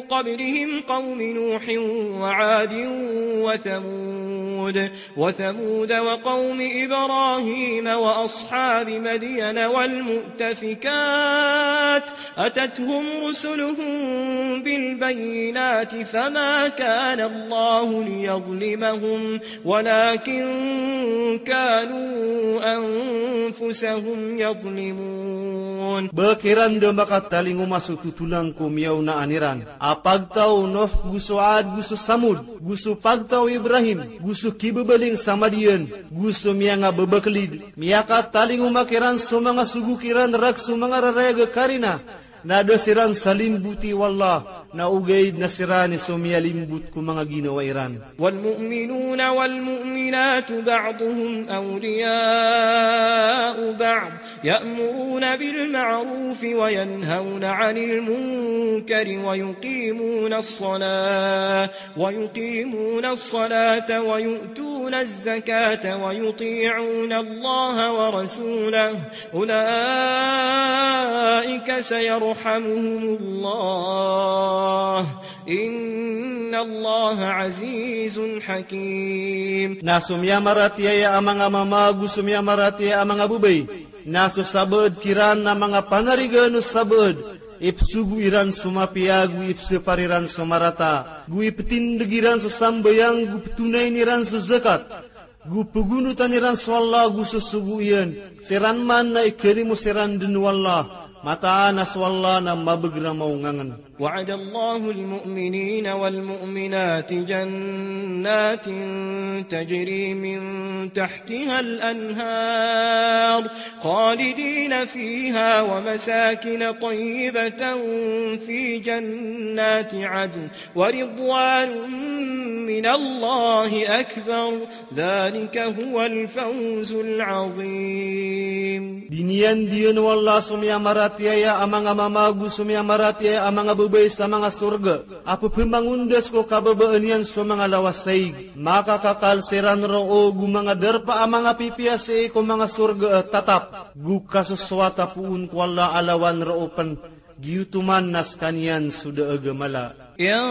قبلهم قوم نوح وعاد وثمود، وثمود وقوم إبراهيم وأصحاب مدين والمؤتفكات، أتتهم رسلهم بالبينات، فما كان الله ليظلمهم، ولكن كانوا أنفسهم يظلمون. Ba kiran da makatalingoma so totolang ko miyaonaan iran a pagtaw o Nuh, go so Ad, go so Samud, go so pagtaw o Ibrahim, go so kibebeling sa Madian, go so miyangabebekelid. Miyakatalingoma kiran so manga sogo kiran rakhs o manga rarayag a karina, na da siran salimboti o Allah, na ogaid na siran i so miyalimbot ko manga ginawa iran. والمؤمنون والمؤمنات بعضهم أولياء بعض، يأمرون بالمعروف وينهون عن المنكر ويقيمون الصلاة، ويقيمون الصلاة ويؤتون الزكاة ويطيعون الله ورسوله، أولئك سيرحمهم الله، إن الله عزيز حكيم. Na so miyamaratiyaya a manga mama ago so miyamaratiyaya a manga babay, na so sabaad kiran a manga panarigan o sabaad, ipesogo iran so mapiya ago ipesepar iran so marata, go ipetindeg iran so sambayang, go petonayn iran so zakat, go pegonotan iran so Allah ago so sogo iyan. Siran man na ikalimo siran den o Allah. Mataan a so Allah na mabegeramaw ngangen. وعد الله المؤمنين والمؤمنات جنات تجري من تحتها الأنهار خالدين فيها ومساكن طيبة في جنات عدن ورضوان من الله أكبر، ذلك هو الفوز العظيم. Diniyandiyan o Allah so miyamaratiyaya a manga mama ago so miyamaratiyaya a manga babay sa manga sorga a pepemangondas ko kababaan iyan so manga lawas a ig. Makakakal siran roo go manga darpa a manga pipiya sii ko manga sorga a tatap, go kasosowata poon ko Allah a lawan roo pen. Giyoto man na sekaniyan so da a gamala. يا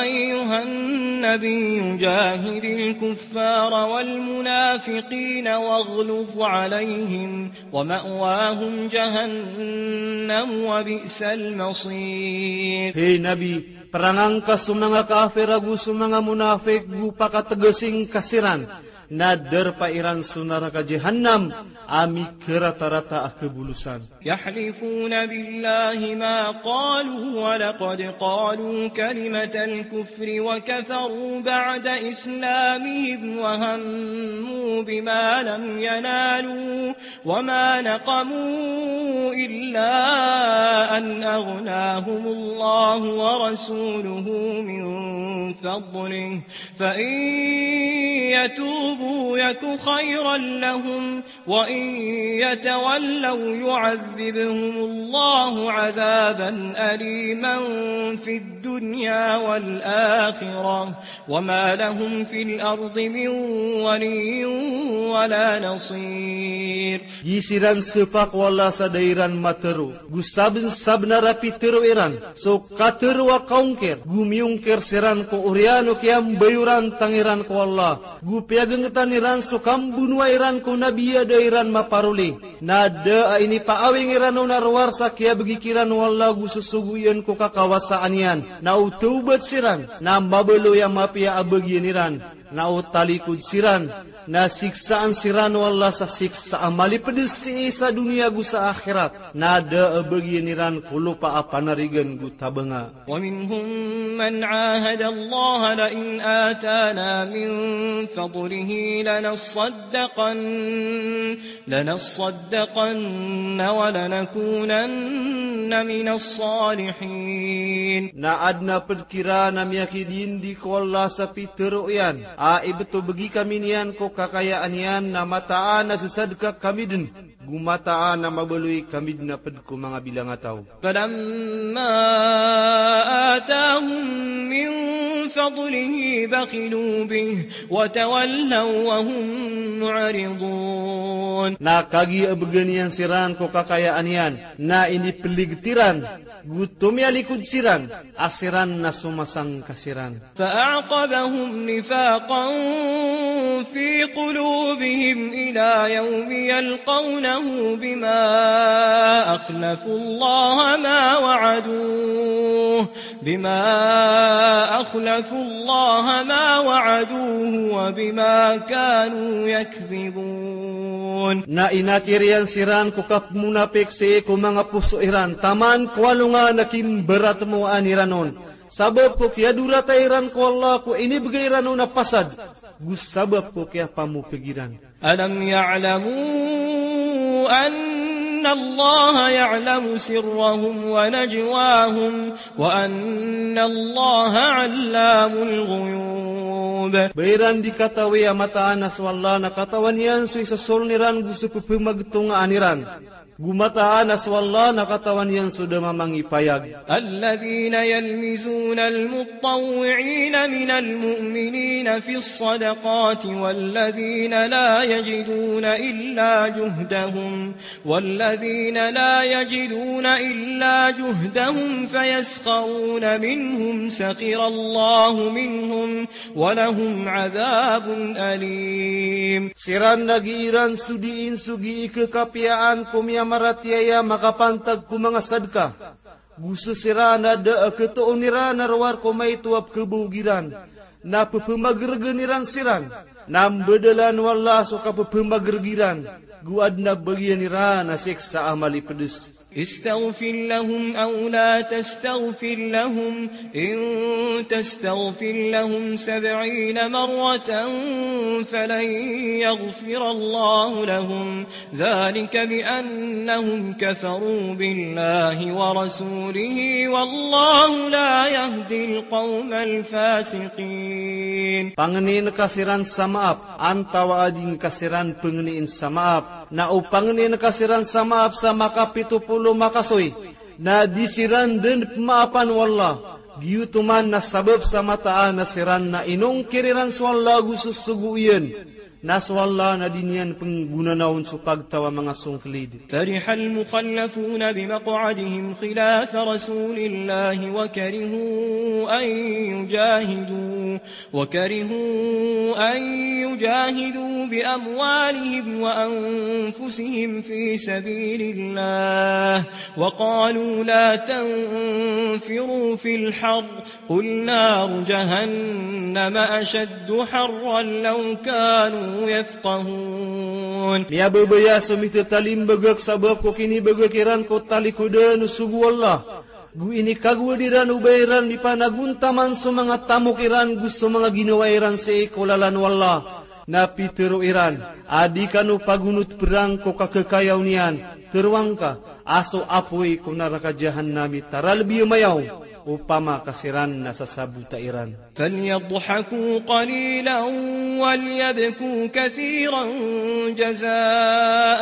أيها النبي جاهد الكفار والمنافقين واغلظ عليهم ومأواهم جهنم وبئس المصير. Hay Nabi, perangan ka so manga kafir ago so manga monafik go pakategesing ka siran, na darpa iran so naraka Jahannam a mikaratarata a kabolosan. يحلفون بالله ما قالوا ولقد قالوا كلمة الكفر وكفروا بعد إسلامهم وهموا بما لم ينالوا وما نقموا إلا أن أغناهم الله ورسوله من فضله فإن يتوبوا يك خيرا لهم وإن يتولوا يعذبهم الله عذابا أليما في الدنيا والآخرة وما لهم في الأرض من ولي ولا نصير. Giya siran sepak o Allah sa da iran matero. Go sabensabenar a pitero iran so katero a kaongkir, go miongkir siran ko oriyan o kiyambayoran tangiran ko Allah, go piyagengetan iran so kambonoa iran ko Nabi a da iran maparoli. Na da a inipaawing iran on a rowar sa kiyabegi kiran o Allah go sosogo iyan ko kakawasaan iyan. Na o tawbat siran, na mabaloy a mapiya a bagian iran. Na o talikod siran, na siksaan siran o Allah sa siksa a malipedes sii sa doniya go sa akhirat. Na da a bagian iran ko lopa a panarigan go tabanga. ومنهم من عاهد الله لئن آتانا من فضله لنصدقن، لنصدقن ولنكونن من الصالحين. Na aden a ped kiran a miyakidindi ko Allah sa pitero iyan a ibeto begi kami niyan ko kakayaan iyan na mataan a sesadka kami den. Go mataan a mabaloy kami dn a pd ko manga bilangataw. فلما آتاهم من فضله بخلوا به وتولوا وهم معرضون. Na kagiya bgan iyan siran ko kakayaan iyan, na inipligt iran, go tomiyalikod siran, a siran na somasangka siran. فأعقبهم نفاقا في قلوبهم إلى يوم يلقونه بما أخلفوا الله ما وعدوه، بما أخلفوا الله ما وعدوه وبما كانوا يكذبون. Na inakir iyan siran ko kapmonapik sii ko manga poso iran, taman ko alongan a kimbaratmoaan iran on. Sabap ko kiyadorata iran ko Allah ko inibgay iran on a pasad, go sabap ko kiyapamopeg iran. ألم يعلموا أن الله يعلم سرهم ونجواهم وأن الله علام الغيوب. Ba iran di katawi a mataan a so Allah na katawan iyan so isosoln iran go so pphamagtongaan iran. Go mataan a so Allah na katawan iyan so da mamangipayag. الذين يلمزون المطوعين من المؤمنين في الصدقات والذين لا يجدون إلا جهدهم، والذين لا يجدون إلا جهدهم فيسخرون منهم سخر الله منهم ولهم عذاب أليم. Siran na gii ran so dii nsogii kekapiyaan ko miyamaratiyaya makapantag ko manga sadka. Go so siran a da a ketoon iran a rowar ko maito a pkebowog iran, na pepemageregen iran siran, na mbadalan o Allah so kapepemagereg iran, go adn a bagian iran a siksa a malipedes. استغفر لهم أو لا تستغفر لهم، إن تستغفر لهم سبعين مرة فلن يغفر الله لهم، ذلك بأنهم كفروا بالله ورسوله والله لا يهدي القوم الفاسقين. Pangnin ka siran sa maap, antawaa di ngka siran pengnin sa maap. Na o pangnin ka siran sa maap sa makapito polo makasoy, na di siran den pemaapan o Allah. Giyoto man na sabap sa mataan a siran na inongkir iran so Allah go so sogo iyan. Na so Allah na di niyan penggonanaon so pagtaw a manga songkelid. فرح المخلفون بمقعدهم خلاف رسول الله وكرهوا أن يجاهدوا، وكرهوا أن يجاهدوا بأموالهم وأنفسهم في سبيل الله، وقالوا لا تنفروا في الحر، قل نار جهنم أشد حرا لو كانوا يفقهون. Miyababaya so mithatalimbagak sabap ko kinibagak iran ko talikodan o sogo o Allah. Go inikagowad iran o ba iran di panagontaman so manga tamok iran go so manga ginawa iran sii ko lalan o Allah. Na pitero iran a di kano pagonot perang ko kakekaya niyan, tero angka a so apoy ko naraka Jahannam i taralbi a mayaw opama ka siran na sasabota iran. فليضحكوا قليلا وليبكوا كثيرا جزاء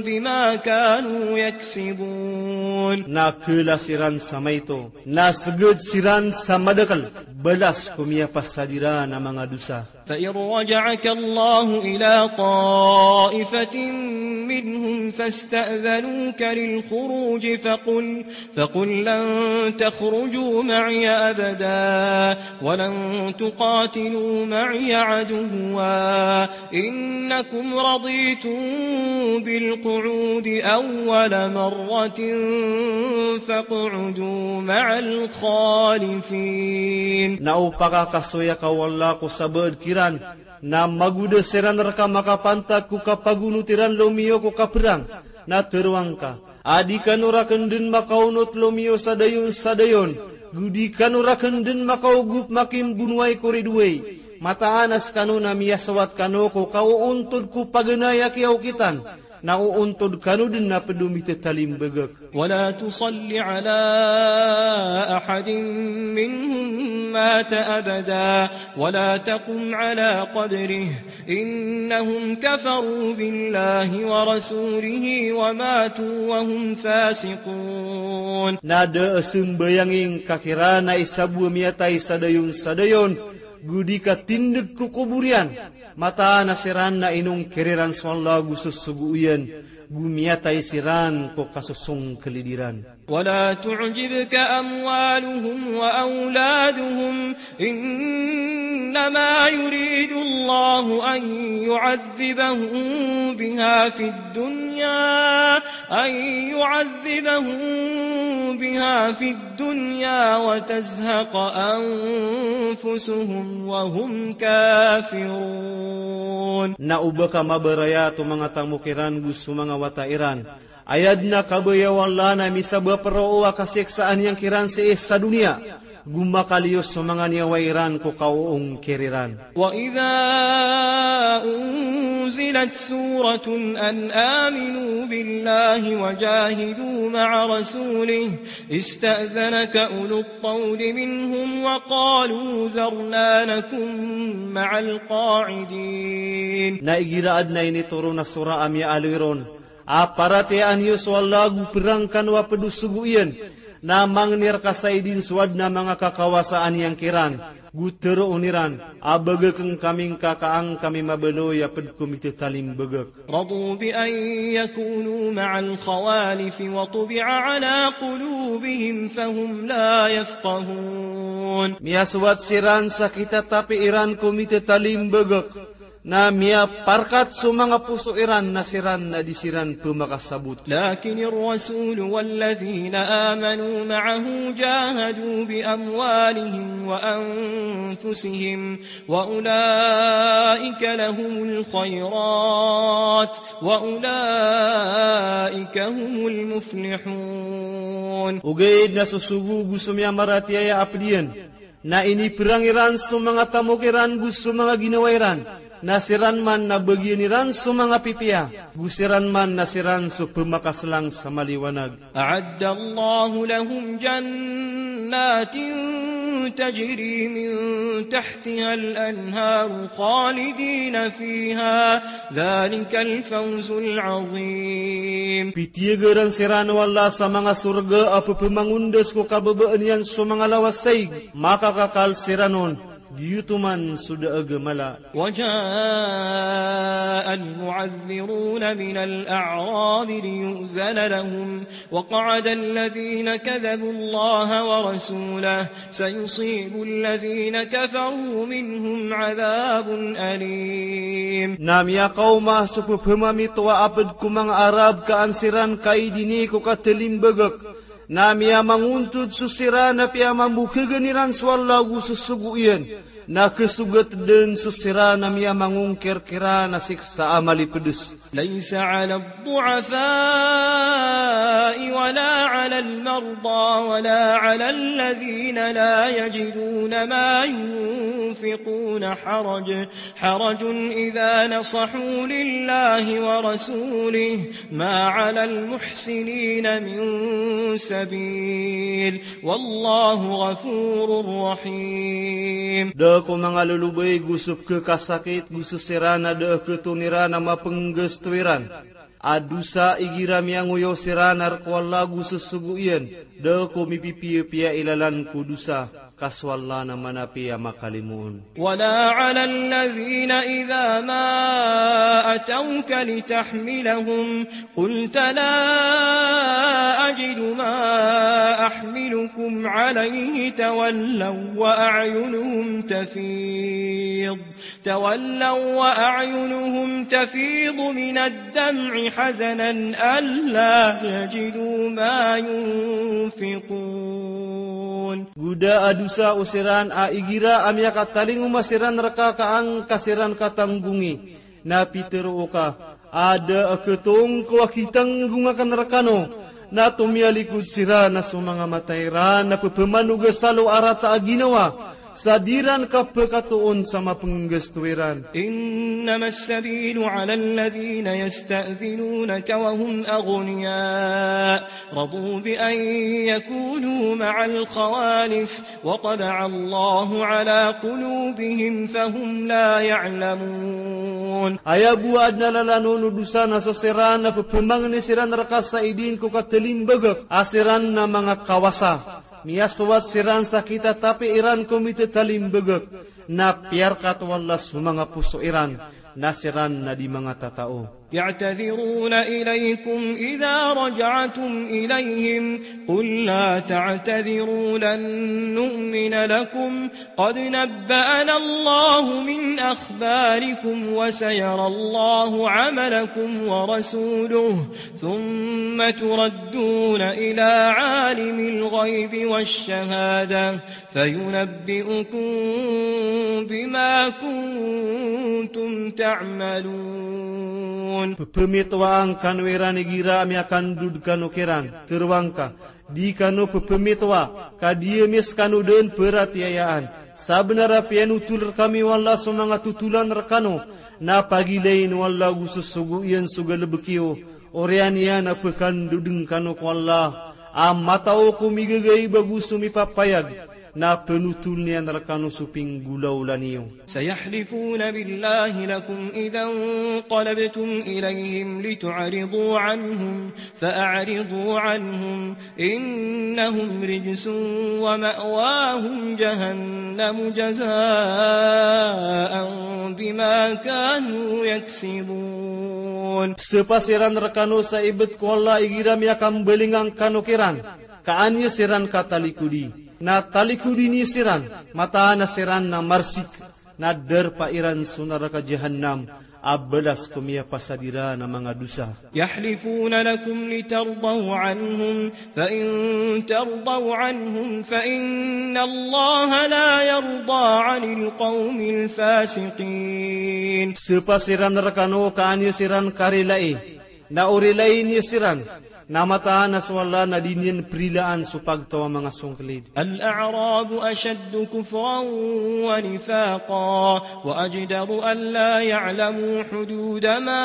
بما كانوا يكسبون. Na kela siran sa maito, na seged siran sa madakel, balas ko miyapasad iran a manga dosa. فإن رجعك الله إلى طائفة منهم فاستأذنوك للخروج فقل، فقل لن تخرجوا معي أبدا ولن تقاتلوا معي عدوا إنكم رضيتم بالقعود أول مرة فاقعدوا مع الخالفين. Na o pakakasoya ka o Allah ko sabaad kiran, na magoda siran reka makapantag ko kapagonot iran lomiyo ko kaperang, na tero angka a di kano raken den makaonot lomiyo sa dayon sa dayon, go di kano raken den makaogop makimbonowai ko ridoay. Mataan a sekano na miyasowat kano ko kaoontod ko paganay a kiyaokitan, Na oontod kano dn a pd o mithatalimbagak. ولا تصل على أحد منهم مات أبدا ولا تقم على قبره إنهم كفروا بالله ورسوله وماتوا وهم فاسقون. Na da a sambayang ingka kiran a isa bo a miyatay sa dayon sa dayon, go di ka tindg ko kobor iyan, mataan a siran na inongkir iran so Allah go so sogo iyan, go miyatay siran ko kasosongklid iran. ولا تعجبك أموالهم وأولادهم إنما يريد الله أن يعذبهم بها في الدنيا أن يعذبهم بها في الدنيا وتزهق أنفسهم وهم كافرون. Na oba ka mabarayat o manga tamok iran go so manga wata iran, aya dn a kabaya o Allah na misabap roo a kasiksaan iyan kiran sii sa doniya, go makaliyo so manga niyawa iran ko kaoongkir iran. وإذا أنزلت سورة أن آمنوا بالله وجاهدوا مع رسوله استأذنك أولو الطول منهم وقالوا ذرنا نكن مع القاعدين. Na igira adn a initoron a sora a miyaaloy ron a paratiyayaan iyo so Allah go prang kano a pd o sogo iyan, na mangni rka sa idin so adn a manga kakawasaan iyan kiran, go tharoon iran a bagakn kami ngka ka an kami mabaloy a pd ko mithatalimbagak. رضوا بأن يكونوا مع الخوالف وطبع على قلوبهم فهم لا يفقهون. Miyasoat siran sa kitatapi iran ko mithatalimbagak, na miyaparkat so manga poso iran na siran na di siran pmakasabot. لكن الرسول والذين آمنوا معه جاهدوا بأموالهم وأنفسهم وأولئك لهم الخيرات وأولئك هم المفلحون. Ogaid na so sogo go so miyamaratiyaya a pd iyan, na iniprang iran so manga tamok iran go so manga ginawa iran, na siran man na bagian iran so manga pipiya, go siran man na siran so pmakaslang sa maliwanag. أعد الله لهم جنات تجري من تحتها الأنهار خالدين فيها ذلك الفوز العظيم. Pitiyagaran siran o Allah sa manga sorga a pphmangondas ko kababaan iyan so manga lawas saig, makakakal siran on, giyoto man so daag a mala. وجاء المعذرون من الأعراب ليؤذن لهم وقعد الذين كذبوا الله ورسوله سيصيب الذين كفروا منهم عذاب أليم. Na miyakaoma so pphmamitowa a pd ko manga Arab ka an siran kaidini ko katalimbagak, na miyamangontod so siran a piyamambokhagn iran so Allah go so sogo iyan, na khasogat dn so siran a miyamangongkir kiran a siksa a malipds. ليس على الضعفاء ولا على المرضى ولا على الذين لا يجدون ما ينفقون حرج حرج إذا نصحوا لله ورسوله ما على المحسنين من سبيل والله غفور رحيم. Da ko manga lolobay go so pkhakasakit go so siran a da a khaton iran a mapnggasto iran a dosa igira miyangoyaw siran a rk o Allah go so sogo iyan, da ko mipipiyapiya i lalan ko dosa, ka so Allah na manapi a makalimoon. ولا على الذين إذا ما أتوك لتحملهم قلت لا أجد ما أحملكم عليه تولوا وأعينهم تفيض تولوا وأعينهم تفيض من الدمع حزنا ألا يجدوا ما ينفقون. Go da a dosa o siran a igira a miyakatalingoma siran rka ka an ka siran katanggongi, na pitharo ka a da a khatong ko a kitanggonga akn rkano, na tomiyalikod siran a so manga mata iran na pphmanogasalo a rata a ginawa, Sa di ran kapekatoon sa mapenggasto iran. إنما السبيل على الذين يستأذنونك وهم أغنياء رضوا بأن يكونوا مع الخوالف وطبع الله على قلوبهم فهم لا يعلمون. Aya bo a aden a lalan o dosa na so siran na pepemangni siran reka sa idin ko katalimbagak a siran na manga kawasa. Miyasowat siran sa kitatapi iran ko mitatalimbagak, na piyarkat o Allah so manga poso iran, na siran na di manga tatao. يعتذرون إليكم إذا رجعتم إليهم قل لا تعتذروا لن نؤمن لكم قد نبأنا الله من أخباركم وسيرى الله عملكم ورسوله ثم تردون إلى عالم الغيب والشهادة فينبئكم بما كنتم تعملون. Pepemitowa angkano iran igira a miyakandod kano kiran, teroangka, di kano pepemitowa, ka di emis kano den peratiyayaan. Sabenar a piyanotol rekami o Allah so manga totolan rekano, na pagilayin o Allah go sosogo iyan so galebek iyo, oriyan iyan a pekandoden kano ko Allah a matao ko migagaiba go so mipapayag, na penotol niyan rekano so pinggolawla niyo. سيحلفون بالله لكم إذا انقلبتم إليهم لتعرضوا عنهم فأعرضوا عنهم إنهم رجس ومأواهم جهنم جزاء بما كانوا يكسبون. Sepa siran rekano sa ibet ko Allah igira miyakambalingan kano kiran, ka an iyo siran katalikodi. Na talikodi niyo siran, mataan a siran na marsik, na darpa iran so naraka Jahannam a balas ko miyapasad iran a manga dosa. يحلفون لكم لترضوا عنهم فإن ترضوا عنهم فإن الله لا يرضى عن القوم الفاسقين. Sepa siran rekano ka an iyo siran karilai, na o rilai niyo siran, na mataan a so Allah na di niyan perilaan so pagtaw a manga songkelid. الأعراب أشد كفرا ونفاقا وأجدر ألا يعلموا حدود ما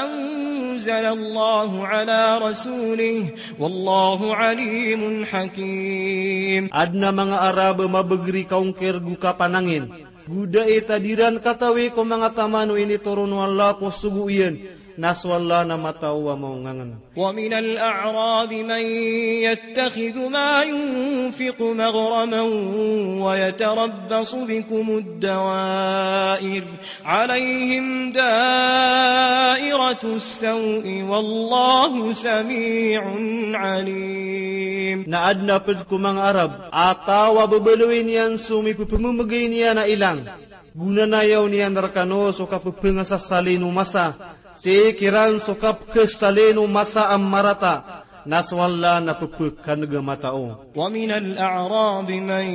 أنزل الله على رسوله والله عليم حكيم. Aden a manga Arab a mabegeri kaongker go kapanangin, go da i tadiran katawi ko manga taman o initoron o Allah ko sogo iyan, na so Allah na matao a maongangen. ومن الأعراب من يتخذ ما ينفق مغرما ويتربص بكم الدوائر عليهم دائرة السوء والله سميع عليم. Na aden a ped ko manga Arab a taw a bebaloy niyan so mipepememegay niyan a ilang, go nanayaw niyan rekano so kapepengasasalin o masa, sii kiran so kapekesalin o masa a marata, na so Allah na pepekaneg a matao. ومن الأعراب من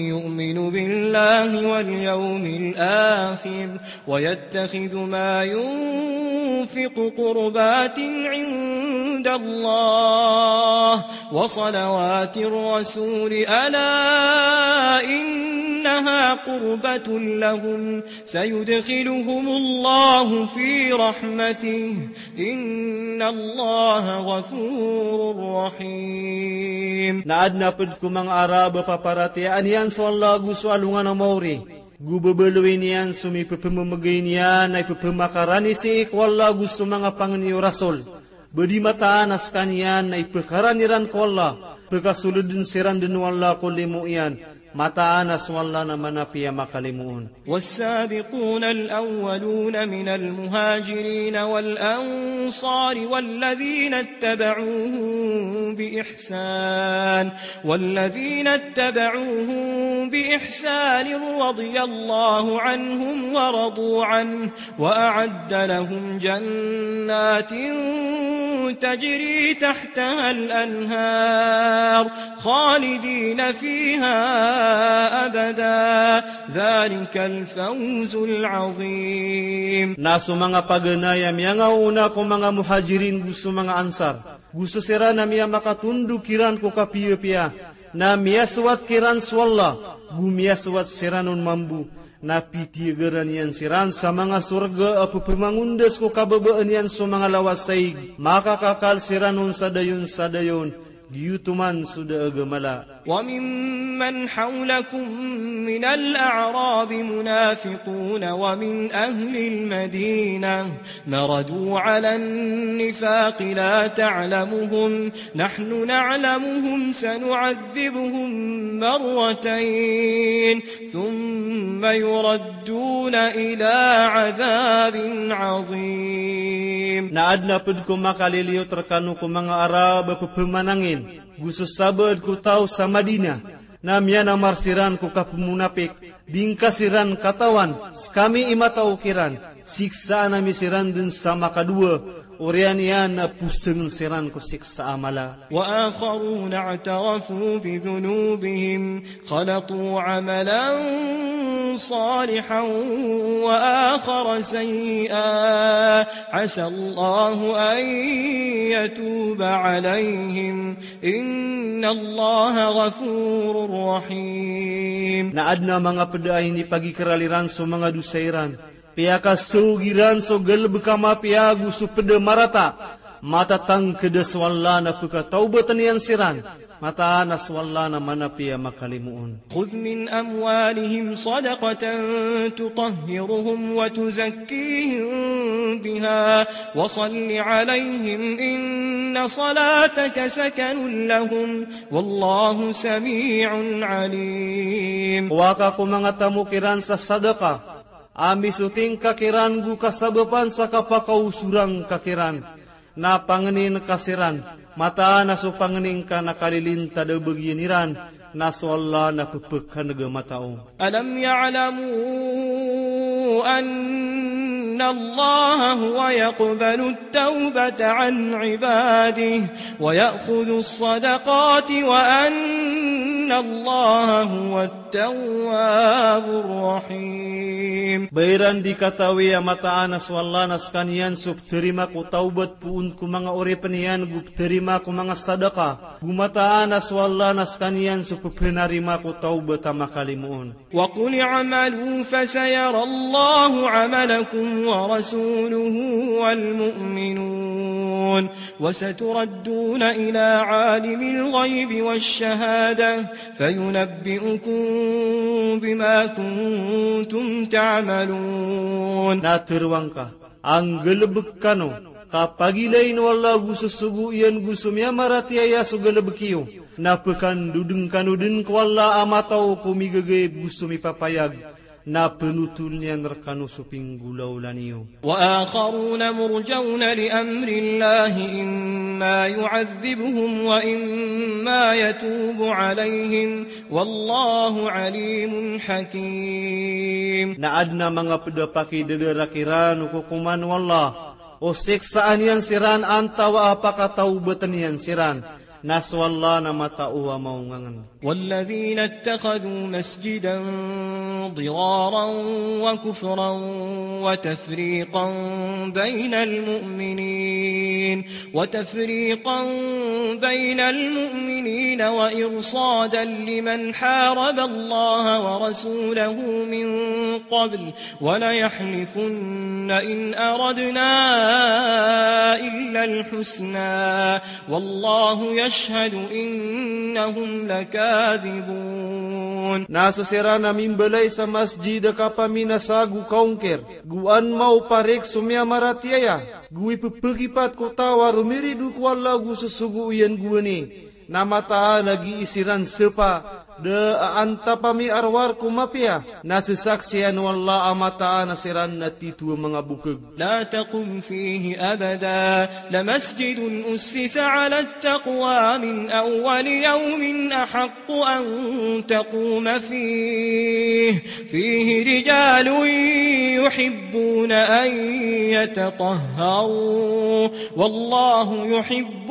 يؤمن بالله واليوم الآخر ويتخذ ما ينفق قربات عند الله وصلوات الرسول ألا إنها قربة لهم سيدخلهم الله في رحمته إن الله غفور رحيم. Na aden a ped ko manga Arab a paparatiyayaan iyan so Allah go so alongan a maori, go bebaloy niyan so mipepememegay niyan a ipepemakarani sii ko Allah go so manga pangni o Rasul. Ba di mataan a sekaniyan na ipekarani ran ko Allah, pekasoleden siran den o Allah ko limo iyan, mataan a so Allah na manapiya makalimoon. والسابقون الأولون من المهاجرين والأنصار والذين اتبعوهم بإحسان والذين اتبعوهم بإحسان رضي الله عنهم ورضوا عنه وأعد لهم جنات تجري تحتها الأنهار خالدين فيها أبدا ذلك الفوز العظيم. Na so manga paganay a miyangaoona ko manga Muhajirin go so manga Ansar, go so siran a miyamakatondog kiran ko kapiyapiya, na miyasowat kiran so Allah, Go miyasowat siran on mambo, na pitiyagaran iyan siran sa manga sorga a pepemangondas ko kababaan iyan so manga lawas a ig. Makakakal siran on sa dayon sa dayon, giyoto man so da a gamala. وممن حولكم من الأعراب منافقون ومن أهل المدينة مردوا على النفاق لا تعلمهم نحن نعلمهم سنعذبهم مرتين ثم يردون إلى عذاب عظيم. Na aden a ped ko makaliliyot rekano ko manga Arab a pepemanangin, go so sabaad ko taw sa Madina, na miyanamar siran ko kapemonapik, di ngka siran katawan, sekami i matao kiran, siksaan ami siran den sa makadowa, oriyan iyan na posengen siran ko siksa a mala. وآخرون اعترفوا بذنوبهم خلطوا عملا صالحا وآخر سيئا عسى الله أن يتوب عليهم إن الله غفور رحيم. Na aden a manga ped a inipagikerali ran so manga dosa iran, piyakasaog iran so galebek a mapiya ago so ped a marata, matatangked a so Allah na pekatawbaten iyan siran, mataan a so Allah na manapiya makalimoon. خذ من أموالهم صدقة تطهرهم وتزكيهم بها وصل عليهم إن صلاتك سكن لهم والله سميع عليم. Kowa ka ko manga tamok iran sa sadaka, a misoting ka kiran go kasabapan sa kapakaosorang ka kiran. Na pangenin ka siran, mataan a so pangenin ka na kalilintad a bagian iran, na so Allah na pepekaneg a matao. ألم يعلموا أن الله هو يقبل التوبة عن عباده ويأخذ الصدقات وأن الله هو التواب الرحيم. Ba iran di katawi a mataan a so Allah na sekaniyan so peterima ko tawbat poon ko manga oripen iyan go peterima ko manga sadaka. Go mataan a so Allah na sekaniyan so pepenarima ko tawbat a makalimoon. وقل اعملوا فسيرى الله عملكم ورسوله والمؤمنون وستردون إلى عالم الغيب والشهادة فينبئكم بما كنتم تعملون. Na teroang ka, anggalebek kano, ka pagilain o Allah go sosogo iyan go so miyamaratiyaya so galebek iyo, na pekandodeng kano den ko Allah a matao ko migagayeb go so mipapayag, na penotol iyan rekano so pinggolawla niyo. وآخرون مرجون لأمر الله إما يعذبهم وإما يتوب عليهم والله عليم حكيم. Na aden a manga ped a pakidadarak iran o kokoman o Allah, o siksaan iyan siran antaa a pakatawbaten iyan siran, na so Allah na matao a maongangen. والذين اتخذوا مسجدا ضرارا وكفرا وتفريقا بين المؤمنين وتفريقا بين المؤمنين وإرصادا لمن حارب الله ورسوله من قبل وليحلفن إن أردنا إلا الحسنى والله يشهد إنهم لكاذبون. Na so siran a mimbalay sa masjid a kapaminasa go kaongkir, go anma o parik so miyamaratiyaya, go ipepegipat ko taw a romirido ko Allah go sosogo iyan gowani, na mataan a gii siran sepa, da a antap a miarowar ko mapiya, na sesaksian o Allah a mataan a siran na tito a manga bokeg. لا تقم فيه أبدا لمسجد أسس على التقوى من أول يوم أحق أن تقوم فيه فيه رجال يحبون أن يتطهروا والله يحب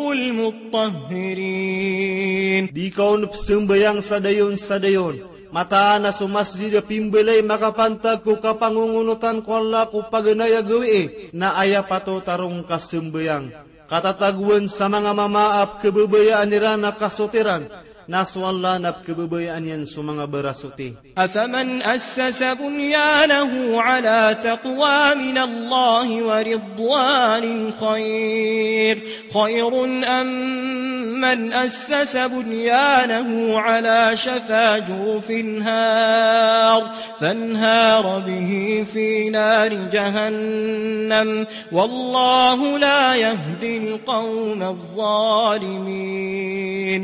المطهرين. Di ka on pesembayang sa dayon sa dayon, mataan a so masjid a pimbalay makapantag ko kapangongonotan ko Allah ko paganay a gawii, na aya patot a roo ngka sembayang. Katatagoan sa manga mama a pekebabayaan iran a kasotiran, Na so Allah na pkhababayaan iyan so manga barasoti. أفمن أسس بنيانه على تقوى من الله ورضوان خير، خير أم من أسس بنيانه على شفا جرف هار فانهار به في نار جهنم والله لا يهدي القوم الظالمين.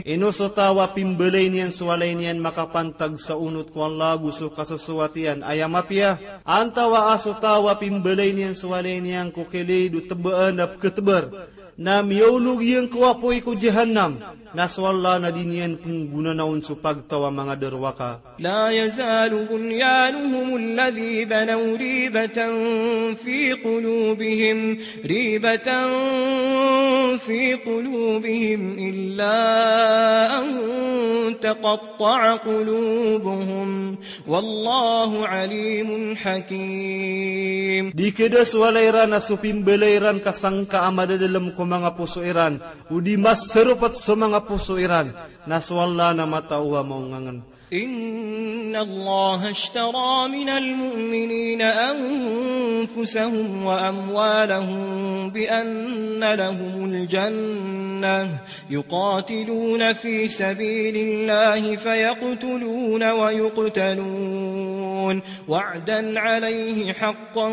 Ino so taw a pimbalay niyan so walay niyan makapantag sa onot ko Allah ago so kasosoat iyan a aya mapiya, antawa a so taw a pimbalay niyan so walay niyan ko kilid o tebaan a pkhatebar, na miyaolog iyan ko apoy ko Jahannam, na so Allah na di niyan pnggonanaon so pagtaw a manga darowaka. لا يزال بنيانهم الذي بنوا ريبة في قلوبهم، ريبة في قلوبهم إلا أن تقطع قلوبهم، والله عليم حكيم. Di khadas o walay iran a so pimbalay iran ka sangka a madadalm ko manga poso iran, o di masaropat so manga poso iran, na so Allah na matao a maongangn. إن الله اشترى من المؤمنين أنفسهم وأموالهم بأن لهم الجنة، يقاتلون في سبيل الله فيقتلون ويقتلون، وعدا عليه حقا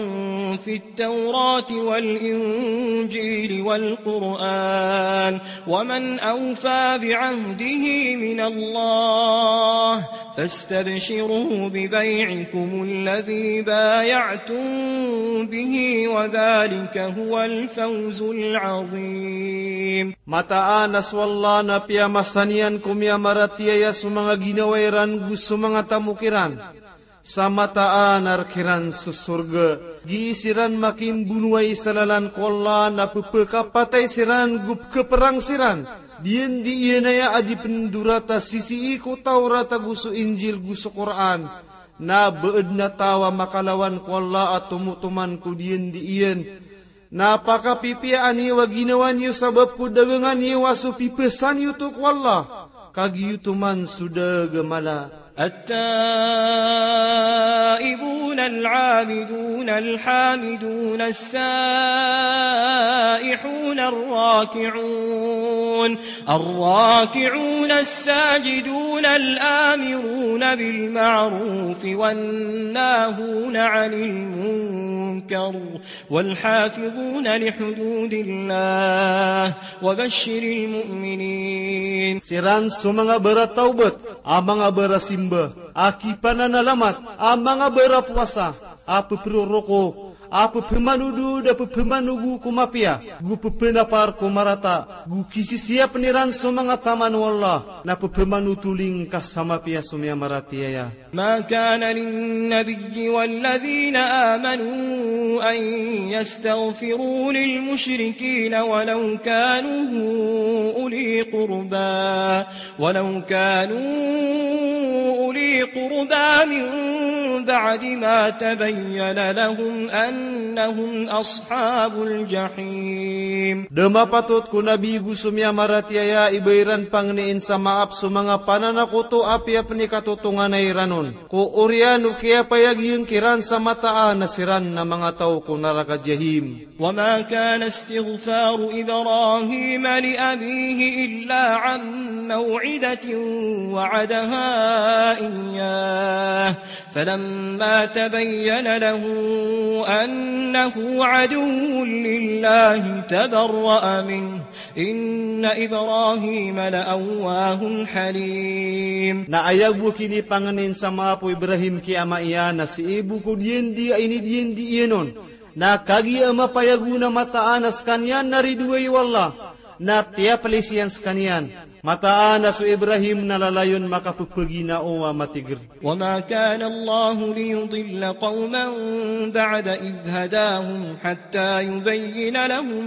في التوراة والإنجيل والقرآن، ومن أوفى بعهده من الله، فاستبشروا ببيعكم الذي بايعتم به، وذلك هو الفوز العظيم. Mataan a so Allah na piyamasa niyan ko miyamaratiyaya so manga ginawa iran go so manga tamok iran. Sa mataan a rk iran so sorga. Gii siran makimbonowai sa lalan ko Allah na pphakapatay siran go pkhaprang siran. Diyandi iyan aya a di pndorata sisii ko Tawrat ago so Injil go so Qur'an. Na ba adn a taw a makalawan ko Allah a tomotoman ko diyandi iyan. Na pakapipiyaan iyo a ginawa niyo sabap ko dagangan iyo a so pipasaan iyo oto ko Allah. Ka giyoto man so da a mala. التائبون العابدون الحامدون السائحون الراكعون، الراكعون الساجدون الآمرون بالمعروف والناهون عن المنكر والحافظون لحدود الله وبشر المؤمنين. Siran so manga baratawbat, a manga barasimba, a kipananalamat, a manga barapowasa, a pproroko, a pphamanodo, da pphamanog ko mapiya, go pphanapar ko marata, go kisisiyapn iran so manga taman o Allah, na pphamanotoling ka sa mapiya so miyamaratiyaya. ما كان للنبي والذين آمنوا أن يستغفروا للمشركين ولو كانوا أولي قربى، ولو كانوا أولي قربى من بعد ما تبين لهم أنهم أصحاب الجحيم. Da mapatot ko Nabi go so miyamaratiyaya i ba iran pangnin sa maap so manga pananakoto a piyapnikatotonganay iran on. Ko oriyan o kiyapayag iyan kiran sa mataan a siran na manga taw ko naraka Jahim. وما كان استغفار إبراهيم لأبيه إلا عن موعدة وعدها إياه فلما تبين له أنه عدو لله تبرأ منه إن إبراهيم لأواه حليم. Na aya bo kinipangnin sa maap o Ibrahim ki ama iyan na sii bo ko diyandi a inidiyandi iyan on. Na kagiya a mapayag on a mataan a skaniyan na ridoay o Allah, na tiyaplis iyan skaniyan. Mataan a so Ibrahim na lalayon makapphaginawa a matigr. وما كان الله ليضل قوما بعد إذ هداهم حتى يبين لهم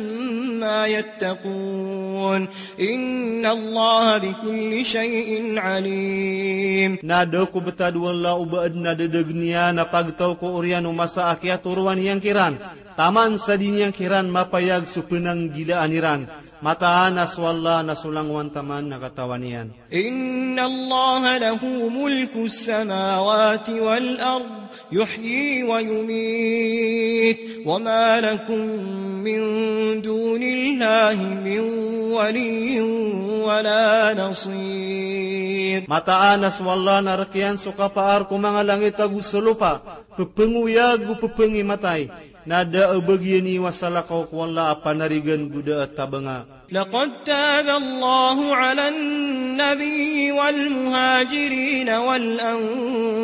ما يتقون إن الله بكل شيء عليم. Na da ko btad o Allah o ba adn a dadagn iyan a pagtaw ko oriyan o masa a kiyatoroan iyan kiran, taman sa di niyan kiran mapayag so pnanggilaan iran. Mataan a so Allah na so langowan taman na katawan iyan. إن الله له ملك السماوات والأرض يحيي ويميت وما لكم من دون الله من ولي ولا نصير. Mataan a so Allah na rk iyan so kapaar ko manga langit ago so lopa, pphangooyag go pphangimatay, na da a bagian iyo a salakaw ko Allah a panarigan go da a tabanga. لقد تاب الله على النبي والمهاجرين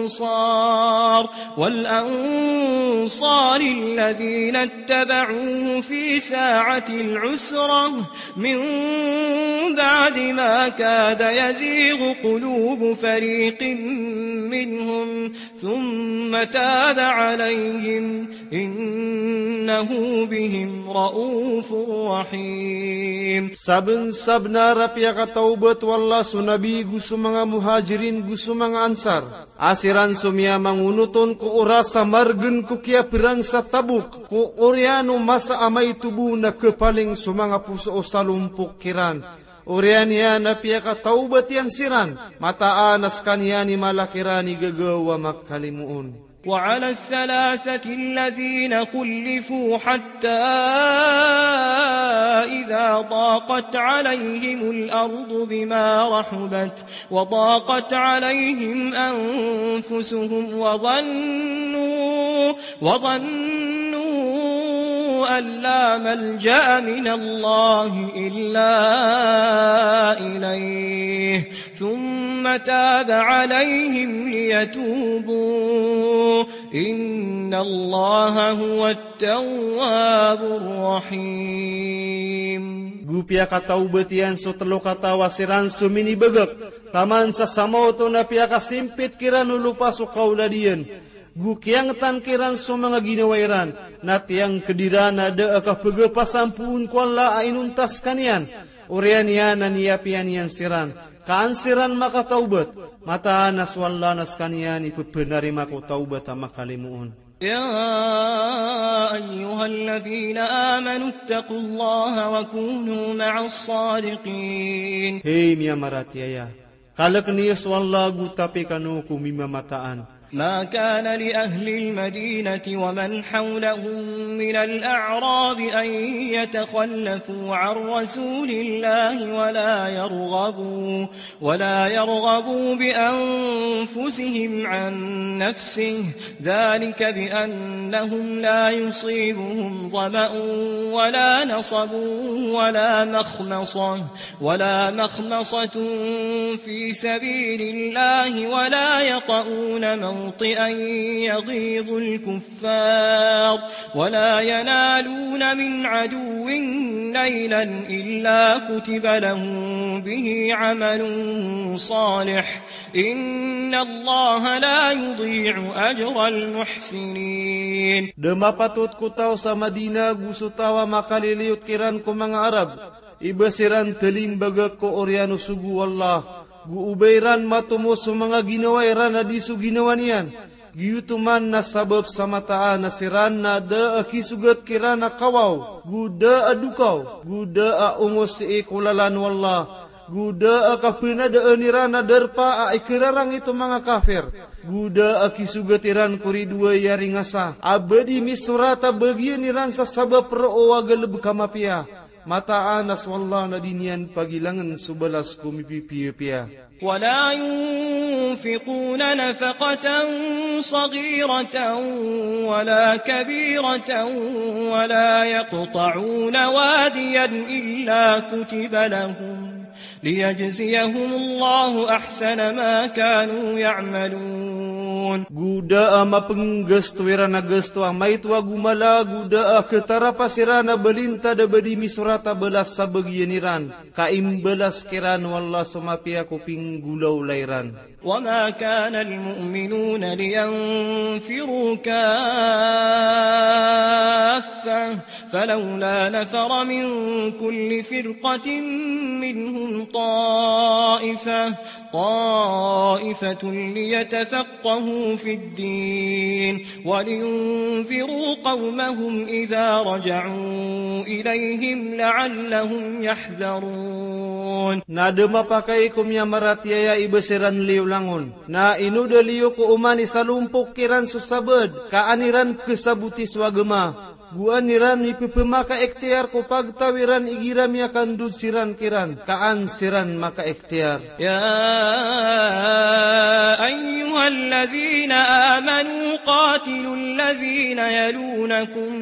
والأنصار، والأنصار الذين اتبعوه في ساعة العسرة من بعد ما كاد يزيغ قلوب فريق منهم ثم تاب عليهم إنه بهم رءوف رحيم. Sabnsabnar a piyakatawbat o Allah so Nabi go so manga Muhajirin go so manga Ansar, a siran so miyamangonot on ko oras a margn ko kiyaprang sa Tabuk, ko oriyan o masa a maito bo na khapaling so manga poso o salompok kiran. Oriyan iyan a piyakatawbat iyan siran, mataan a skaniyan i mala kiran i gagaw a makalimoon. وعلى الثلاثة الذين خلفوا حتى إذا ضاقت عليهم الأرض بما رحبت وضاقت عليهم أنفسهم وظنوا، وظنوا أن لا ملجأ من الله إلا إليه ثم تاب عليهم ليتوبوا إن الله هو التواب الرحيم. Go piyakatawbat iyan so tlo kataw a siran so minibagak taman sa samaoto na piyakasimpit kiran o lopa so kaolad iyan. Go kiyangtan kiran so manga ginawa iran, na tiyangkd iran a da a kapagapasampoon ko Allah a inonta skaniyan. Oriyan iyan a niyapiya niyan siran, ka an siran makatawbat, mataan a so Allah na skaniyan i pphanarima ko tawbat a makalimoon. يا أيها الذين آمنوا اتقوا الله وكونوا مع الصادقين. Hay miyamaratiyaya, kalkn iyo so Allah go tapi kano ko mimamataan. ما كان لأهل المدينة ومن حولهم من الأعراب أن يتخلفوا عن رسول الله ولا يرغبوا، ولا يرغبوا بأنفسهم عن نفسه، ذلك بأنهم لا يصيبهم ظمأ ولا نصب ولا مخمصة، ولا مخمصة في سبيل الله ولا يطئون موطئا يغيظ الكفار ولا ينالون من عدو نيلا إلا كتب لهم به عمل صالح إن الله لا يضيع أجر المحسنين. Da mapatot ko taw sa Madina go so taw a makaliliyot kiran ko manga Arab, i ba siran talimbagak ko oriyan o sogo o Allah, go o ba iran matomo so manga ginawa iran a di so ginawa niyan. Giyoto man na sabap sa mataan a siran na da a kisogat kiran a kawaw, go da a dokaw, go da a ongos sii ko lalan o Allah, go da a kapanadaan iran a darpa a ikararangit o manga kafir, go da a kisogat iran ko ridoay a ringasa a ba di misorat a bagian iran sa sabap roo a galbk a mapiya. Mataan a so Allah na di niyan pagilangn so balas ko mipipiyapiya. ولا ينفقون نفقة صغيرة ولا كبيرة ولا يقطعون واديا إلا كتب لهم ليجزيهم الله أحسن ما كانوا يعملون. Go da a mapnggasto iran a gasto a maito ago mala, go da a khatarapa siran a balinta da ba di misorat a balas sa bagian iran, ka imbalas kiran o Allah so mapiya ko pinggolawla iran. وما كان المؤمنون لينفروا كافة فلولا نفر من كل فرقة منهم طائفة، طائفة ليتفقهوا في الدين ولينذروا قومهم إذا رجعوا إليهم لعلهم يحذرون. Na da mapakay ko miyamaratiyaya i ba siran liyo langon. Na ino da liyo ko oman i salompok kiran so sabaad, ka an iran khasaboti so agama. Go an iran mipepemakaektiyar ko pagtaw iran igira miyakandod siran kiran, ka an siran makaektiyar. يا أيها الذين آمنوا قاتلوا الذين يلونكم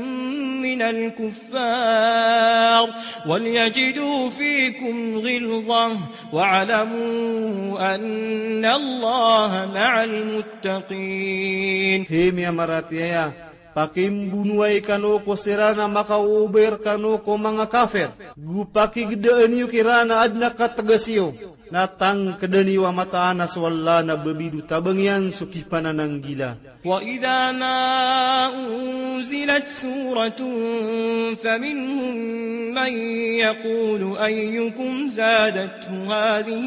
من الكفار وليجدوا فيكم غلظة واعلموا أن الله مع المتقين. Hay miyamaratiyaya, pakimbonowai kano ko siran a makaober kano ko manga kafir. Go pakigedaan iyo kiran a aden a kategas iyo. Na tangkeda niyo a mataan a so Allah na babid o tabang iyan so kipanananggila. وإذا ما أنزلت سورة فمنهم من يقول أيكم زادته هذه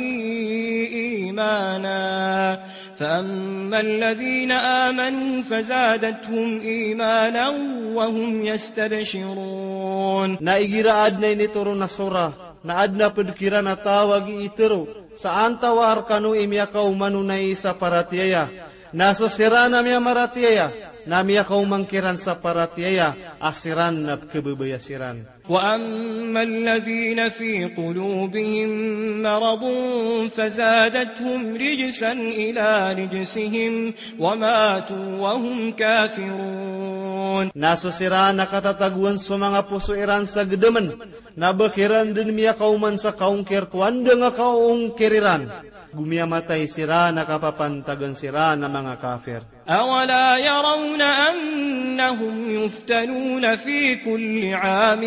إيمانا فأما الذين آمنوا فزادتهم إيمانا وهم يستبشرون. Na igira aden a initoron a surah, na aden a ped kiran a taw a gii tero, sa antawaa rekano i miyakaoma on a isa paratiyaya. Na so siran a miyamaratiyaya, na miyakaoma kiran sa paratiyaya, a siran na pekebebaya siran. وأما الذين في قلوبهم مرض فزادتهم رجسا إلى رجسهم وماتوا وهم كافرون. Na so siran a katatagoan so manga poso iran sa gedemen, na ba kiran den miyakaoma sa kaongkir ko andang a kaongkir iran. Go miyamatay siran a kapapantagan siran a manga kafir. أولا يرون أنهم يفتنون في كل عام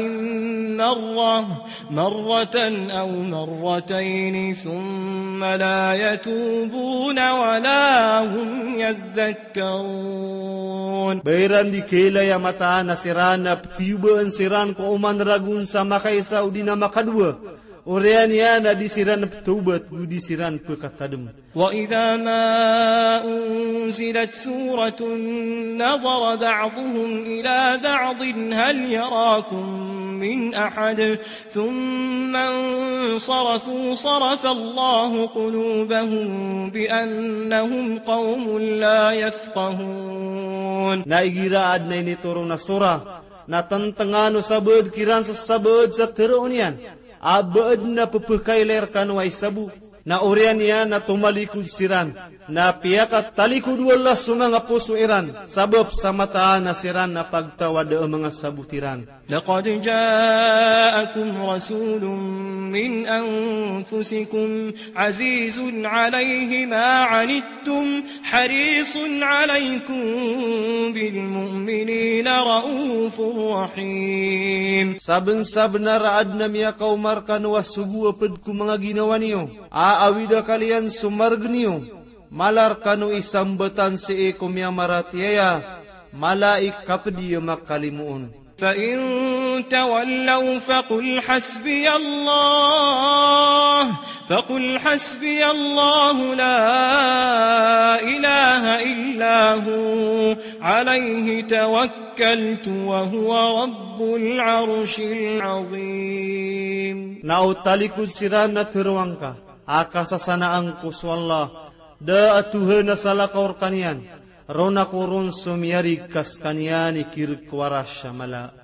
مرة، مرة أو مرتين ثم لا يتوبون ولا هم يذكرون. Ba iran di kailay a mataan a siran a petiyobaan siran ko oman ragon sa makaisa odi na makadowa. Oriyan iyan a di siran petawbat, go di siran pekatadem. وإذا ما أنزلت سورة نظر بعضهم إلى بعض هل يراكم من أحد ثم انصرفوا صرف الله قلوبهم بأنهم قوم لا يفقهون. Na igira aden a initoron a surah, na tentengan o sabaad kiran sa sabaad sa teroon iyan. A ba aden a pepekailay rekano a isa bo. Na oriyan iyan na tomalikod siran. Na piyakatalikod o Allah so manga poso iran. Sabap sa mataan a siran a pagtaw a da a manga sabot iran. لقد جاءكم رسول من أنفسكم عزيز عليه ما عنتم حريص عليكم بالمؤمنين رءوف رحيم. Sabensabenar a aden a miyakaoma rekano a sogo a ped ko manga ginawa niyo, a awid a kaliyan so mareg niyo, mala rekano i sambatan sii ko miyamaratiyaya, mala i kapedi a makalimoon. فإن تولوا فقل حسبي الله، فقل حسبي الله لا إله إلا هو، عليه توكلت وهو رب العرش العظيم. Na o talikod siran na teroa ngka a kasasanaan ko so Allah, da a Tohan a salakaw rekaniyan, ron ako ron so miyarig ka sekaniyan i kireg ko Arash a mala.